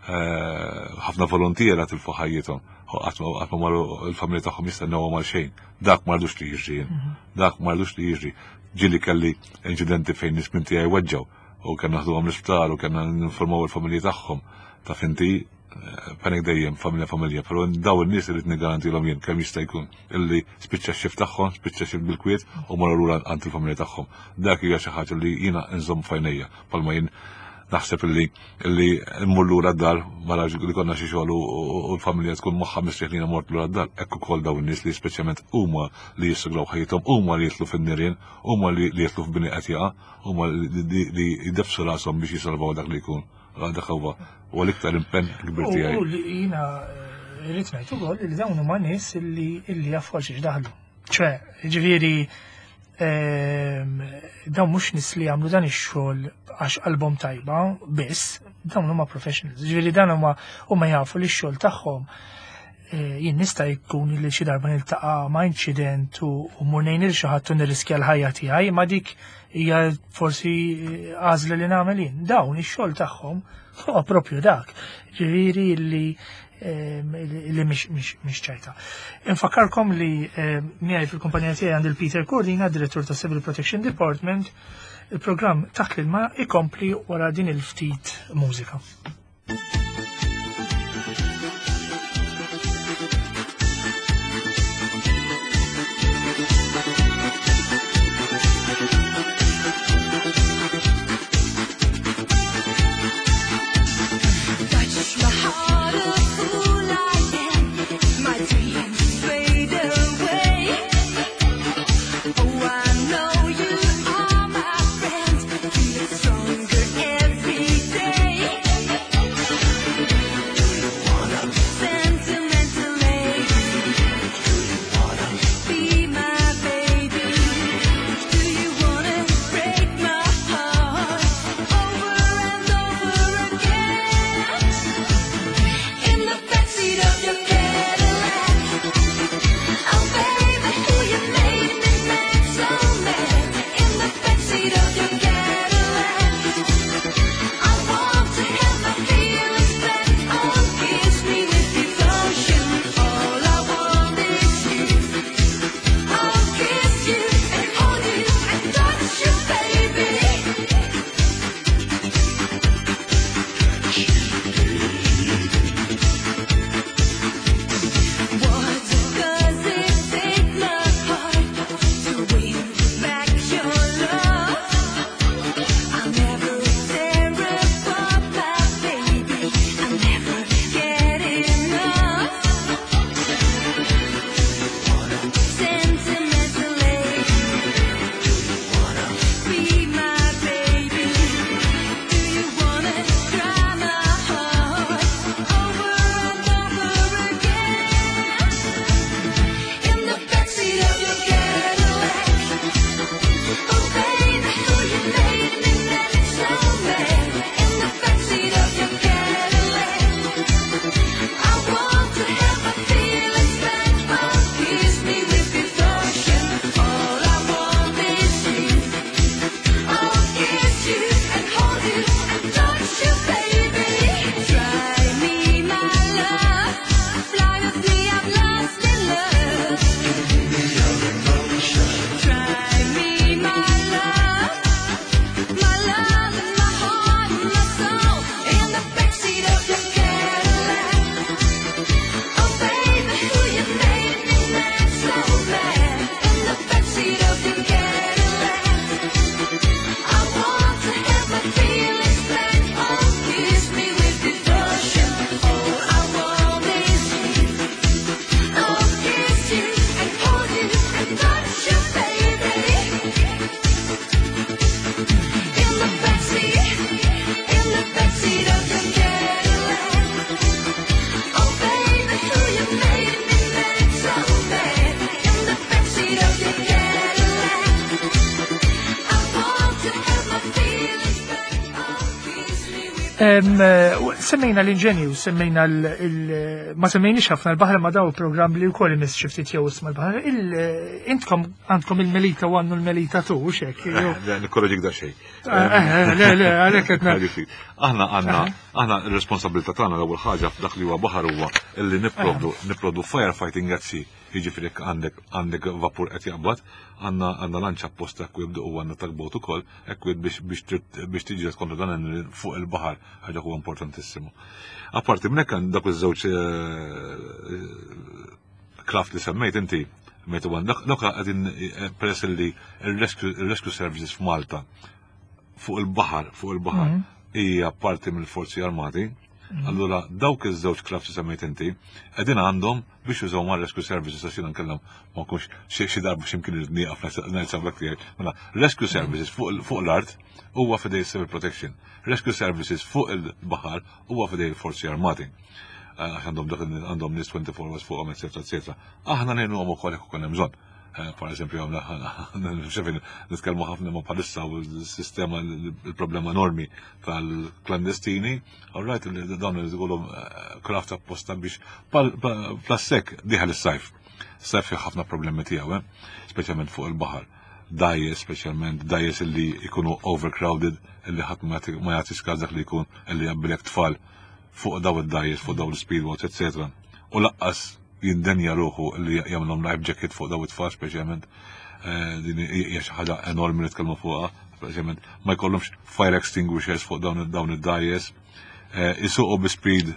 Ħafna volontiera tilfu ħajjithom u qatt ma marru l-familja tagħhom jistennewhom għal xejn. Dak ma rridux li jiġri jien. Dak ma rridux li jiġri. Ġieli kelli inċidenti fejn nies minn tiegħi weġġgħu u kellna naħduhom l-isptar u kellna ninformaw il-familji tagħhom. Taf inti, panic dejjem, familja familja, però daw in-nies irid niggarantilhom jien kemm jista' jkun illi spiċċa x-xift tagħhom, spiċċa x-xift bil-kwiet u marru lura għand il-familja tagħhom. Dak hija xi ħaġa li jiena nżomm f'għajnejja, bħalma jien naħseb illi illi mmur lura d-dar wara li konna xi xogħol u l-familja tkun moħħha mistrieħ li jiena mort lura d-dar. Hekk ukoll dawn in-nies li speċjalment huma li jissugraw ħajjithom, huma li jidħlu fin-nirien, huma li jidħlu f'bini qed jaqa', huma li jdeffsu rashom biex jisalvaw dak li jkun. Dak huwa u l-iktar impenn kbir tiegħi. U li jiena rrid ngħid ukoll li dawn huma nies illi jafu għal xiex daħlu. Ċe, ġifieri dawn mhux nies li jagħmlu dan ix-xogħol għax qalbhom tajba biss, dawn huma professionals. Ġifieri dan huma huma jafu li x-xogħol tagħhom jien nista' jkun li xi darba niltaqa' ma' inċident u mmur ngħin lil xi ħadd u nirriskja l-ħajja tiegħi, ma dik hija forsi għażla li nagħmel jien. Dawn ix-xogħol tagħhom huwa propju dak. Ġifieri li li mhix ċajta. Infakkarkom li miegħi fil-kumpanija tiegħi għandi l-Peter Cordina, direttur ta' Civil Protection Department. Il-programm Taħt l-Ilma ikompli wara din il-ftit mużika. Stronger every day. Semmejna l-inġenju, semmejna l- ma semmejniex ħafna l-baħar ma daw program li wkoll imiss xi ftit jew isma' l-baħar. Intkom għandkom il-Melita u għandu l-Melita tu, xek. Eh, Nikkorreġik da xejn. Eh, eh, le, le, għalhekk qed Aħna għandna aħna r-responsabilità tagħna l-ewwel ħaġa f'dak li huwa baħar huwa illi nipprovdu nipprovdu firefighting at sea. Jiġifieri jekk għandek għandek vapur qed jaqbad, għandna għandna lanċa apposta equipped u għandna tugboat ukoll equipped biex biex tiġi kontra dan fuq il-baħar, ħaġa huwa importantissimu. Apparti minn hekk dak iż-żewġ eh, craft li semmejt inti, meta għan dak qegħdin eh, peress li il-rescue services f'Malta fuq il-baħar, fuq il-baħar mhm. hija parti mill-forzi armati, mhm. allura dawk iż-żewġ craft li semmejt inti qegħdin għandhom biex jużaw ma' rescue services għax jiena nkellem ma nkunx xi darba x'imkien irid nieqaf ngħid sablek tiegħi. Mela, rescue services fuq l-art huwa fidej civil protection. Rescue services fuq il-baħar huwa fidej il-forzi armati. Eh, għax għandhom dak għandhom nies 24 hours fuqhom, eċetera, eċetera. Aħna ngħinuhom ukoll jekk ukoll hemm bżonn. Eh, per eżempju, xefin, nitkellmu ħafna ma palissa u s-sistema il-problema enormi tal-klandestini, all right, dawn li tqolhom eh, kraft apposta biex plassek diħal is-sajf. Sajf fih ħafna problemi tiegħu, eh, speċjalment fuq il-baħar. Dajes, speċjalment dajes illi jkunu overcrowded, illi ħadd ma jagħti każ dak li jkun illi jabbilek tfal fuq daw id-dajes, fuq daw l-speedboats, eccetera. U laqqas jindenja ruħu li jagħmlhom life jacket fuq daw it-tfal speċjalment eh, din hija xi ħaġa enormi li tkellmu fuqha, speċjalment ma jkollhomx fire extinguishers fuq dawn id-dajes. Eh, isuqu bi speed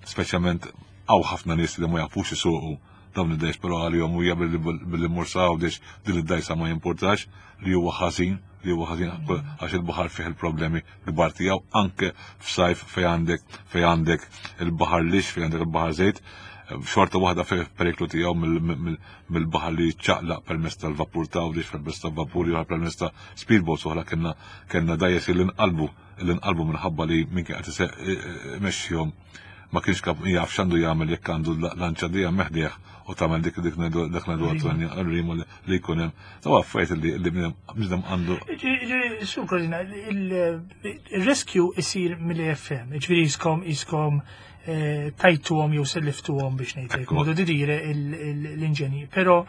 speċjalment hawn ħafna nies li ma jafux isuqu dawn id-dajs, però għalihom hija billi mmur sa Għawdex din id-dajsa ma jimpurtax li huwa ħażin, li huwa ħażin għax il-baħar fih il-problemi kbar tiegħu anke f'sajf fejn għandek fejn għandek il-baħar lix, fejn għandek il-baħar żejt, xorta waħda fih periklu tiegħu mill-baħar li ċaqlaq permezz tal-vapur ta' Għawdex, permezz tal-vapur jew permezz ta' speedboats oħra kellna kellna dajjes li nqalbu li nqalbu minħabba li min kien qed imexxihom ma kienx kap jaf x'għandu jagħmel jekk għandu lanċa dejjem meħdieħ u tagħmel dik dik dak ngħidu għat-rima li jkun hemm. Daw affarijiet li li bniedem għandu. Sur Korina, il-rescue isir mill-AFM, ġifieri jiskom jiskom eh, tajtuhom jew selliftuhom biex ngħidlek, modu di dire l-inġenji. Però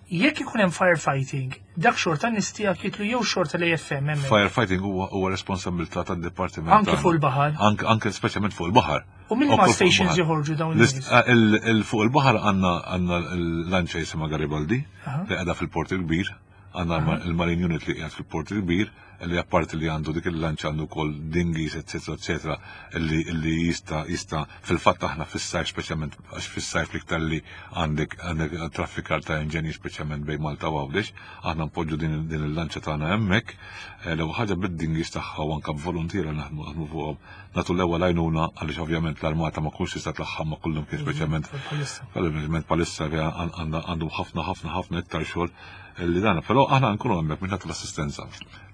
jekk ikun hemm firefighting, dak xorta nies tiegħek jitlu jew xorta l-AFM hemmhekk. Firefighting huwa huwa responsabilità tad-dipartiment. Anke fuq il-baħar. Anke anke speċjalment fuq il-baħar. U minn ma stations joħorġu dawn in-nies? Eh, fuq il-baħar għandna għandna l-lanċa jisimha Garibaldi li qiegħda fil-Port il-Kbir, għandna il-Marine Unit li qiegħed fil-Port il-Kbir, li apparti li għandu dik il-lanċa għandu wkoll dinghies, eccetera, eccetera, li jista' jista' fil-fatt aħna fis-sajf speċjalment għax fis-sajf l-iktar li għandek għandek traffikar ta' inġenji speċjalment bejn Malta u Għawdex, aħna npoġġu din, din il-lanċa tagħna hemmhekk, eh, l-ewwel ħaġa bid-dinghies tagħha u anke b'voluntiera naħdmu naħdmu fuqhom nagħtu l-ewwel għajnuna għaliex ovvjament l-armata ma kunx tista' tlaħħam ma' kullum kien speċjalment speċjalment palissa għandhom ħafna ħafna ħafna iktar xogħol li dan, però aħna nkunu hemmhekk biex nagħtu l-assistenza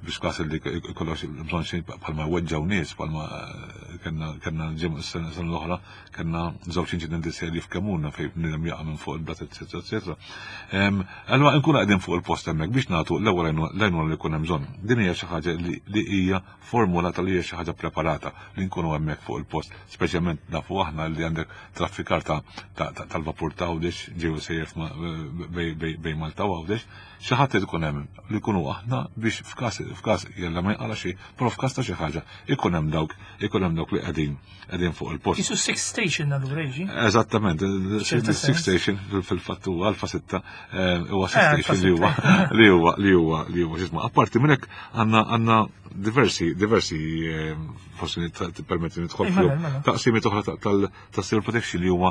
biex każ li jkollok bżonn xi bħalma weġġaw nies bħalma eh, kellna kellna sena l-oħra kellna żewġ inċidenti serji f'Kemuna fejn bniedem jaqa' minn fuq il-blat eċetera eċetera. Allura nkunu qegħdin fuq il-post hemmhekk biex nagħtu l-ewwel l-għajnuna li jkun hemm bżonn. Din hija xi ħaġa li hija formulata li hija xi ħaġa preparata li nkunu hemmhekk fuq il-post, speċjalment nafu aħna li għandek traffikar tal-vapur ta' Għawdex ġew sejjer bejn Malta u Għawdex, xi ħadd ikun hemm li jkunu aħna biex f'każ f'każ jella ma jqala xi, però f'każ ta' xi ħaġa ikun hemm dawk ikun hemm dawk li qegħdin qegħdin fuq il-post. Isu six station allura jiġi? Eżattament, six station fil-fatt huwa Alfa 6 eh, huwa six eh, station li huwa li huwa li huwa li huwa x'isma'. Apparti minn hekk għandna għandna diversi diversi eh, forsi permetti nidħol fihom mela, mela. taqsimiet oħra tal-civil protection li huma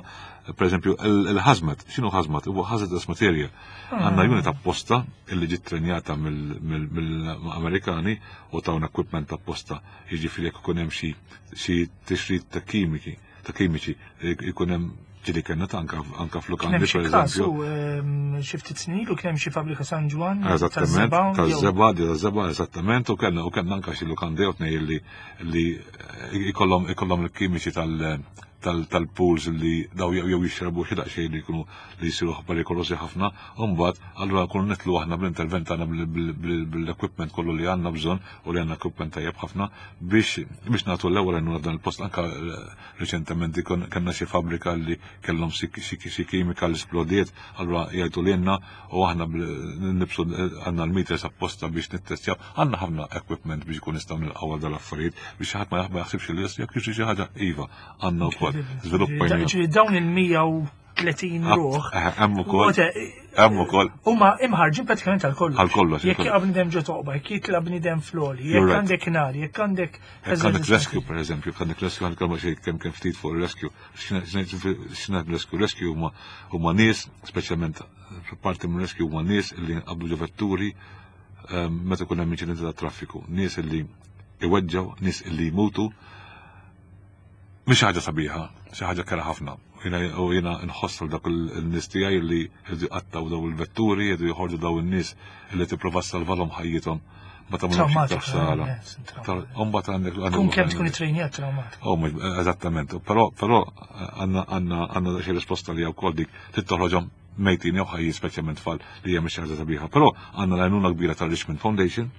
pereżempju il-hazmat. X'inhu hazmat? Huwa hazardous material. Ah. Għandna unit apposta illi ġiet trenjata mill-Amerikani u tawna equipment apposta jiġifieri jekk ikun hemm xi tixrid ta' kimiki ta' kimiċi ikun hemm ġili kellna ta' anka anka f'lukandi per eżempju. Ehm, xi ftit snin ilu kien hemm xi fabbrika San Ġwann. Eżattament, taż-żeba, taż-żeba, eżattament, u kellna u kellna anka xi lukandi jew tnej li li ikollhom ikollhom il-kimiċi tal tal-pools li daw jew jixrabu xi daqsxejn li jkunu li jsiru perikolosi ħafna, u mbagħad allura nkunu nitlu aħna bl-intervent tagħna bil-equipment kollu li għandna bżonn u li għandna equipment tajjeb ħafna biex biex nagħtu l-ewwel għajnuna f'dan il-post anke eh, riċentement kellna xi fabbrika li kellhom xi kimika li splodiet, allura jgħidu lilna u aħna nibsu għandna l-meters apposta biex nittestjaw, għandna ħafna equipment biex ikun nistgħu nilqgħu għal dal-affarijiet biex ħadd ma jaħsibx li jekk jiġri xi ħaġa iva għandna wkoll żviluppajna. Ġifieri dawn il-130 ruħ. Eh, hemm ukoll. Hemm ukoll. Huma imħarġin pratikament għal kollox. Għal kollox. Jekk jaqa' bniedem ġo toqba, jekk jitla' bniedem floli, jekk għandek nar, jekk għandek. Jekk għandek rescue pereżempju, jekk għandek rescue għandek xi kemm kemm ftit fuq il-rescue. X'ingħid rescue? Rescue huma huma nies, speċjalment parti minn rescue huma nies li nqabdu ġo vetturi ehm, meta jkun hemm inċidenti ta' traffiku, nies li iweġġgħu, nies li jmutu. Mhix ħaġa sabiħa, xi ħaġa kera ħafna. U jiena nħoss dak il-nies tiegħi li jridu jqattaw daw il-vetturi, jridu joħorġu daw in-nies li tipprova salvalhom ħajjithom ma tagħmlux iktar ħsara. Imbagħad għandek Kun kemm tkun ittrejnjat traumatik. Oh, eżattament. Però però għandna għandna għandna xi risposta li wkoll dik trid toħroġhom mejtin jew ħajjin speċjalment tfal li hija mhix ħaġa sabiħa. Però għandna l-għajnuna kbira tal-Richmond Foundation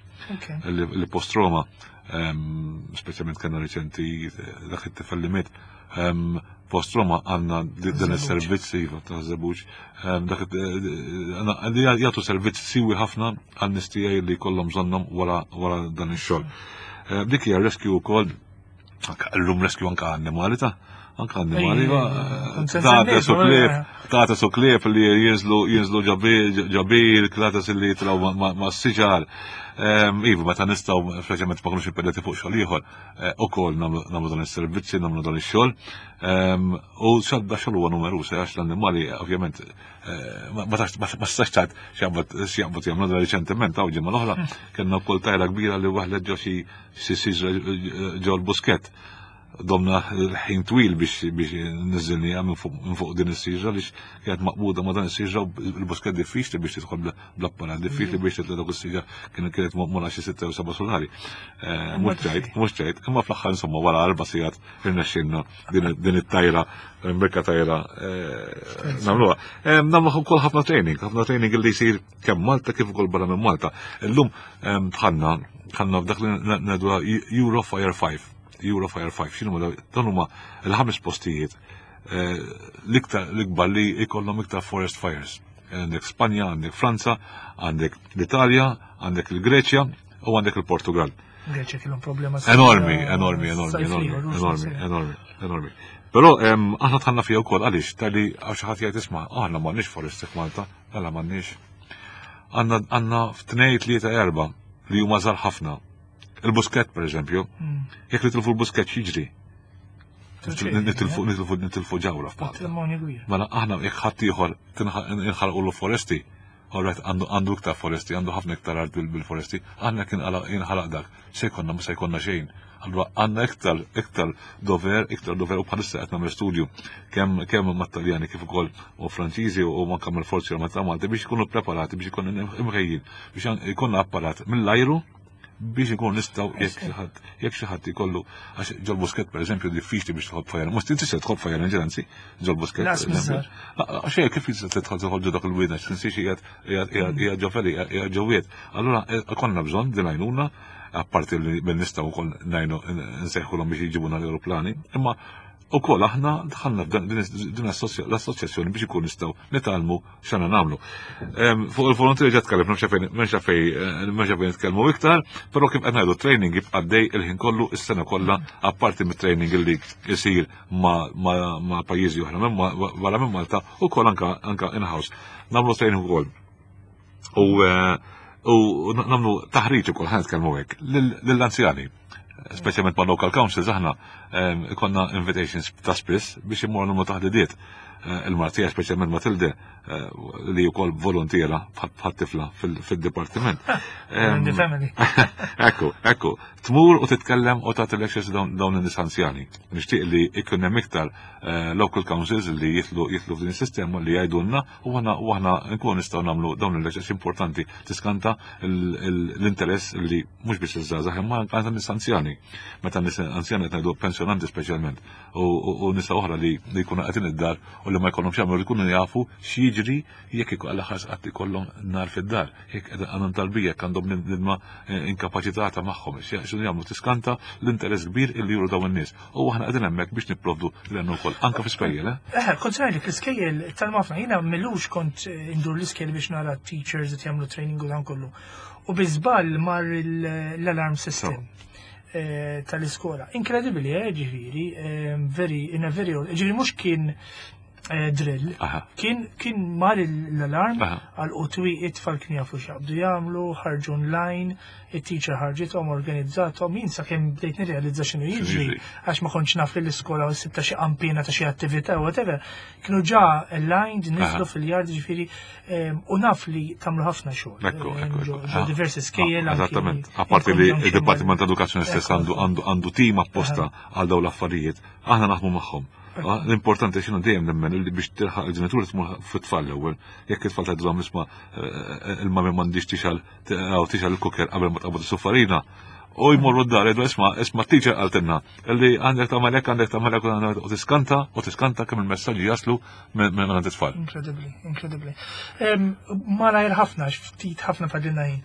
li post-Roma ehm, speċjalment kellna riċenti eh, dak it-tifel li miet ehm, post Roma għandna dan is-servizz iva ta' żebuġ ehm, dak eh, eh, jagħtu servizz siwi ħafna għan nies tiegħi li jkollhom bżonnhom wara dan ix-xogħol. Dik hija rescue wkoll L-lum rescue anka annimali ta' anka annimali ta' su klieb, ta' su klieb li jinżlu jinżlu ġabil, klatas li jitraw ma' siġar. Ehm, iva, meta nistgħu speċjalment ma kunux impedati fuq xogħol ieħor, eh, ukoll nagħmlu dan is-servizzi, nagħmlu dan ix-xogħol. Ehm, u xadda xogħol huwa numeruż eh, għax l-annimali ovvjament eh, ma tistax tgħid x'jaqbad jagħmlu dan riċentement hawn ġimgħa l-oħra hmm. kellna wkoll tajra kbira li waħlet ġo xi xi siġra ġol buskett. Domna ħin twil biex biex niżilniha minn fuq din is-siġra li kienet maqbuda ma' dan is-siġra u l-buskett diffiċli biex tidħol bl-apparat, diffiċli biex titla' dak is-siġra kien kienet maqmula xi sitta jew seba' solari. Eh, mhux ċajt, mhux ċajt, imma fl-aħħar insomma wara erba' sigħat irnexxinna din it-tajra, mbekka tajra eh, nagħmluha. Eh, nagħmlu wkoll ħafna training, ħafna training li jsir kemm Malta kif ukoll barra minn Malta. Illum dħalna dħalna f'dak li ngħidu Euro Fire 5. Euro Fire 5, x'inhu dan huma l-ħames postijiet eh, l-iktar l-ikbar li jkollhom iktar forest fires. Għandek Spanja, għandek Franza, għandek l-Italja, għandek il-Greċja u għandek il-Portugal. Greċja kellhom problema enormi, enormi, enormi, enormi, enormi, enormi, enormi. Però aħna tħanna fija wkoll għaliex tali għax xi ħadd jgħid isma' aħna m'għandniex foresti f'Malta. Mela m'għandniex. Għandna għandna f'tnej tlieta erba' li huma żgħar ħafna. Il-buskett pereżempju, hmm. jekk nitilfu l-buskett x'jiġri? Nitilfu nitilfu nitilfu ġawra f'Malta. Mela aħna jekk ħadd ieħor inħalqu l-foresti, Alright, għandu iktar foresti, għandu ħafna iktar art bil-foresti, aħna kien jinħalaq dak, se jkollna ma se jkollna xejn. Allura għandna iktar iktar dover, iktar dover u bħalissa qed nagħmel studju kemm kemm mat-Taljani kif ukoll u Franċiżi u anke mal-Forzi Armati ta' Malta biex ikunu preparati biex ikunu imħejjin biex ikollna apparat mill-ajru biex ikun nistgħu jekk xi ħadd jekk xi ħadd ikollu għax ġol buskett pereżempju diffiċli biex tħobb fajjar. Mhux tista' tħobb fajjar anzi ġol buskett. Għax kif tista' tidħol toħol ġo dak il-wied għax tinsiex qiegħed ġo feli qiegħed ġo wied. Allura eh, konna bżonn din għajnuna apparti li minn nistgħu wkoll ngħinu nsejħulhom biex jġibuna l-aeroplani, imma ukoll aħna dħalna f'dan din l-assoċjazzjoni biex ikun nistgħu nitgħallmu x'għandna nagħmlu. Fuq il-volontiri ġa tkellem, m'hemmx fejn eh, fejn nitkellmu iktar, però kif qed ngħidu training jibqa' dej il-ħin kollu is-sena kollha apparti mit-training li jsir ma' pajjiżi oħra barra minn Malta ukoll anka in-house. Nagħmlu training ukoll. U eh, u nagħmlu taħriġ ukoll ħan nitkellmu hekk lill-anzjani. Speċjalment ma' local councils aħna ehm, ikonna invitations ta' spiss biex immorru nagħmlu taħdidiet. il-mara tiegħi speċjalment Matilde eh, li wkoll volontiera bħal tifla fil-dipartiment. In the family. Ekku, ekku, tmur u titkellem u tagħti lectures dawn in-nies anzjani. Nixtieq li jkun hemm iktar eh, local councils li jitlu jitlu f'din is-sistema li jgħidulna u aħna u aħna nkunu nistgħu nagħmlu dawn il-lectures importanti tiskanta l-interess li mhux biss iż-żgħażagħ imma anke nies anzjani. Meta nies anzjani qed ngħidu pensjonanti speċjalment u nisa oħra li jkunu qegħdin id-dar u li ma jkollhomx jagħmlu li jkunu jafu x'jiġri jekk għal ħas qatt ikollhom nar fid-dar, jekk għandhom talbija, jekk għandhom nidma eh, inkapaċitata magħhom, x'jagħmlu jagħmlu tiskanta l-interess kbir illi juru dawn in-nies. U aħna qegħdin hemmhekk biex nipprovdu l ukoll anke fi spejjel. Eh? eh, kont ngħidlek l-iskejjel tal-mafna jiena milux kont eh, indur l-iskejjel biex nara teachers qed jagħmlu training u dan kollu. U bi żball mar l-alarm system. Eh, tal-iskola. Inkredibbli, eh, ġifieri, eh, very, in a very old, ġifieri mhux kien eh, drill, kien kien mar l-alarm għal qutwi it-tfal kien jafu x'jaqbdu jagħmlu, ħarġu online, it-teacher ħarġithom, organizzathom, jien sakemm bdejt nirrealizza x'inhu jiġri, għax ma kontx naf li l-iskola u sibta xi qampina ta' xi attività whatever, kienu ġa aligned, niżlu fil-yard ġifieri U naf li tagħmlu ħafna xogħol. Ekku, ekku. Ġo diversi skejjel. Ah, eżattament. Apparti li id-Dipartiment ta' Edukazzjoni stess għandu għandu tim apposta għal dawn l-affarijiet, aħna naħdmu magħhom. Ah, l-importanti xinu dejjem nemmen li biex tilħaq il-ġenituri tmur fit-tfal l-ewwel. Jekk it-tfal tgħidilhom isma' eh, eh, il-mami m'għandix tixal tixal il-kuker qabel ma tqabad is-suffarina, u jmorru d-dar jgħidu isma' isma' teacher qaltilna li għandek tagħmel hekk għandek tagħmel hekk u tiskanta u tiskanta kemm il-messaġġi jaslu minn għand it-tfal. Inkredibbli, inkredibbli. Malajr ħafna, ftit ħafna fadilna ħin.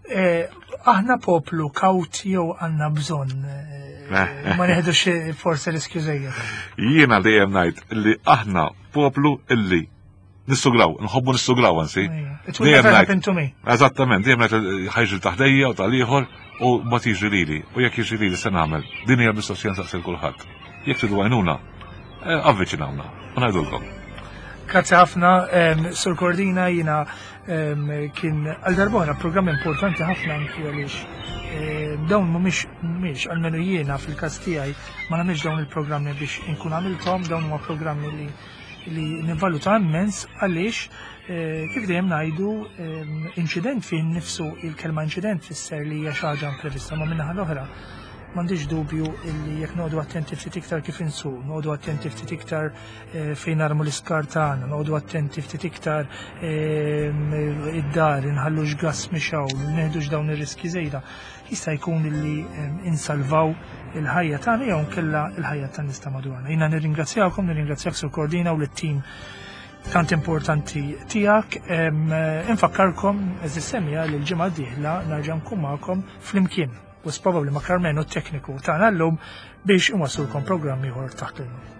Eh, aħna poplu kawt jew għandna bżonn eh, eh. ma neħdux forse riskju żejjed. Jiena dejjem ngħid li aħna poplu illi nissugraw, nħobbu nissugraw ansi. It will never happen to me. Eżattament, dejjem ngħid ħajġi taħdejja u tal-ieħor u ma tiġri lili. U jekk jiġri lili se nagħmel. Din hija mistoqsija nsaqsi kulħadd. Jekk tridu għajnuna, eh, avviċinawna u ngħidulkom. Grazzi ħafna, Sur Cordina, jina kien għal darbora programm importanti ħafna anki għaliex dawn mhumiex mhumiex almenu jiena fil-każ tiegħi ma nagħmilx dawn il-programmi biex inkun għamilthom, dawn huma programmi li li nivvaluta immens għaliex eh, kif dejjem ngħidu inċident fih nifsu il-kelma inċident fisser li hija xi ħaġa imprevista ma minnaħa l-oħra m'għandix dubju illi jekk noqogħdu attenti ftit iktar kif insuq, noqogħdu attenti ftit iktar eh, fejn narmu l-iskar tagħna, noqogħdu attenti ftit iktar eh, id-dar, inħallux gas mixaw, neħdux dawn ir-riski żejda. Jista' jkun illi eh, insalvaw il-ħajja tagħna jew nkella il-ħajja tan-nies ta' madwarna. Jiena nirringrazzjakom, nirringrazzjak Sur Cordina u lit-tim tant importanti tiegħek. Infakkarkom, eżis semija li l-ġimgħa d-dieħla narġa' nkun magħkom flimkien. u probably ma' Carmenu t-tekniku tagħna llum biex inwassulkom programm ieħor taħt l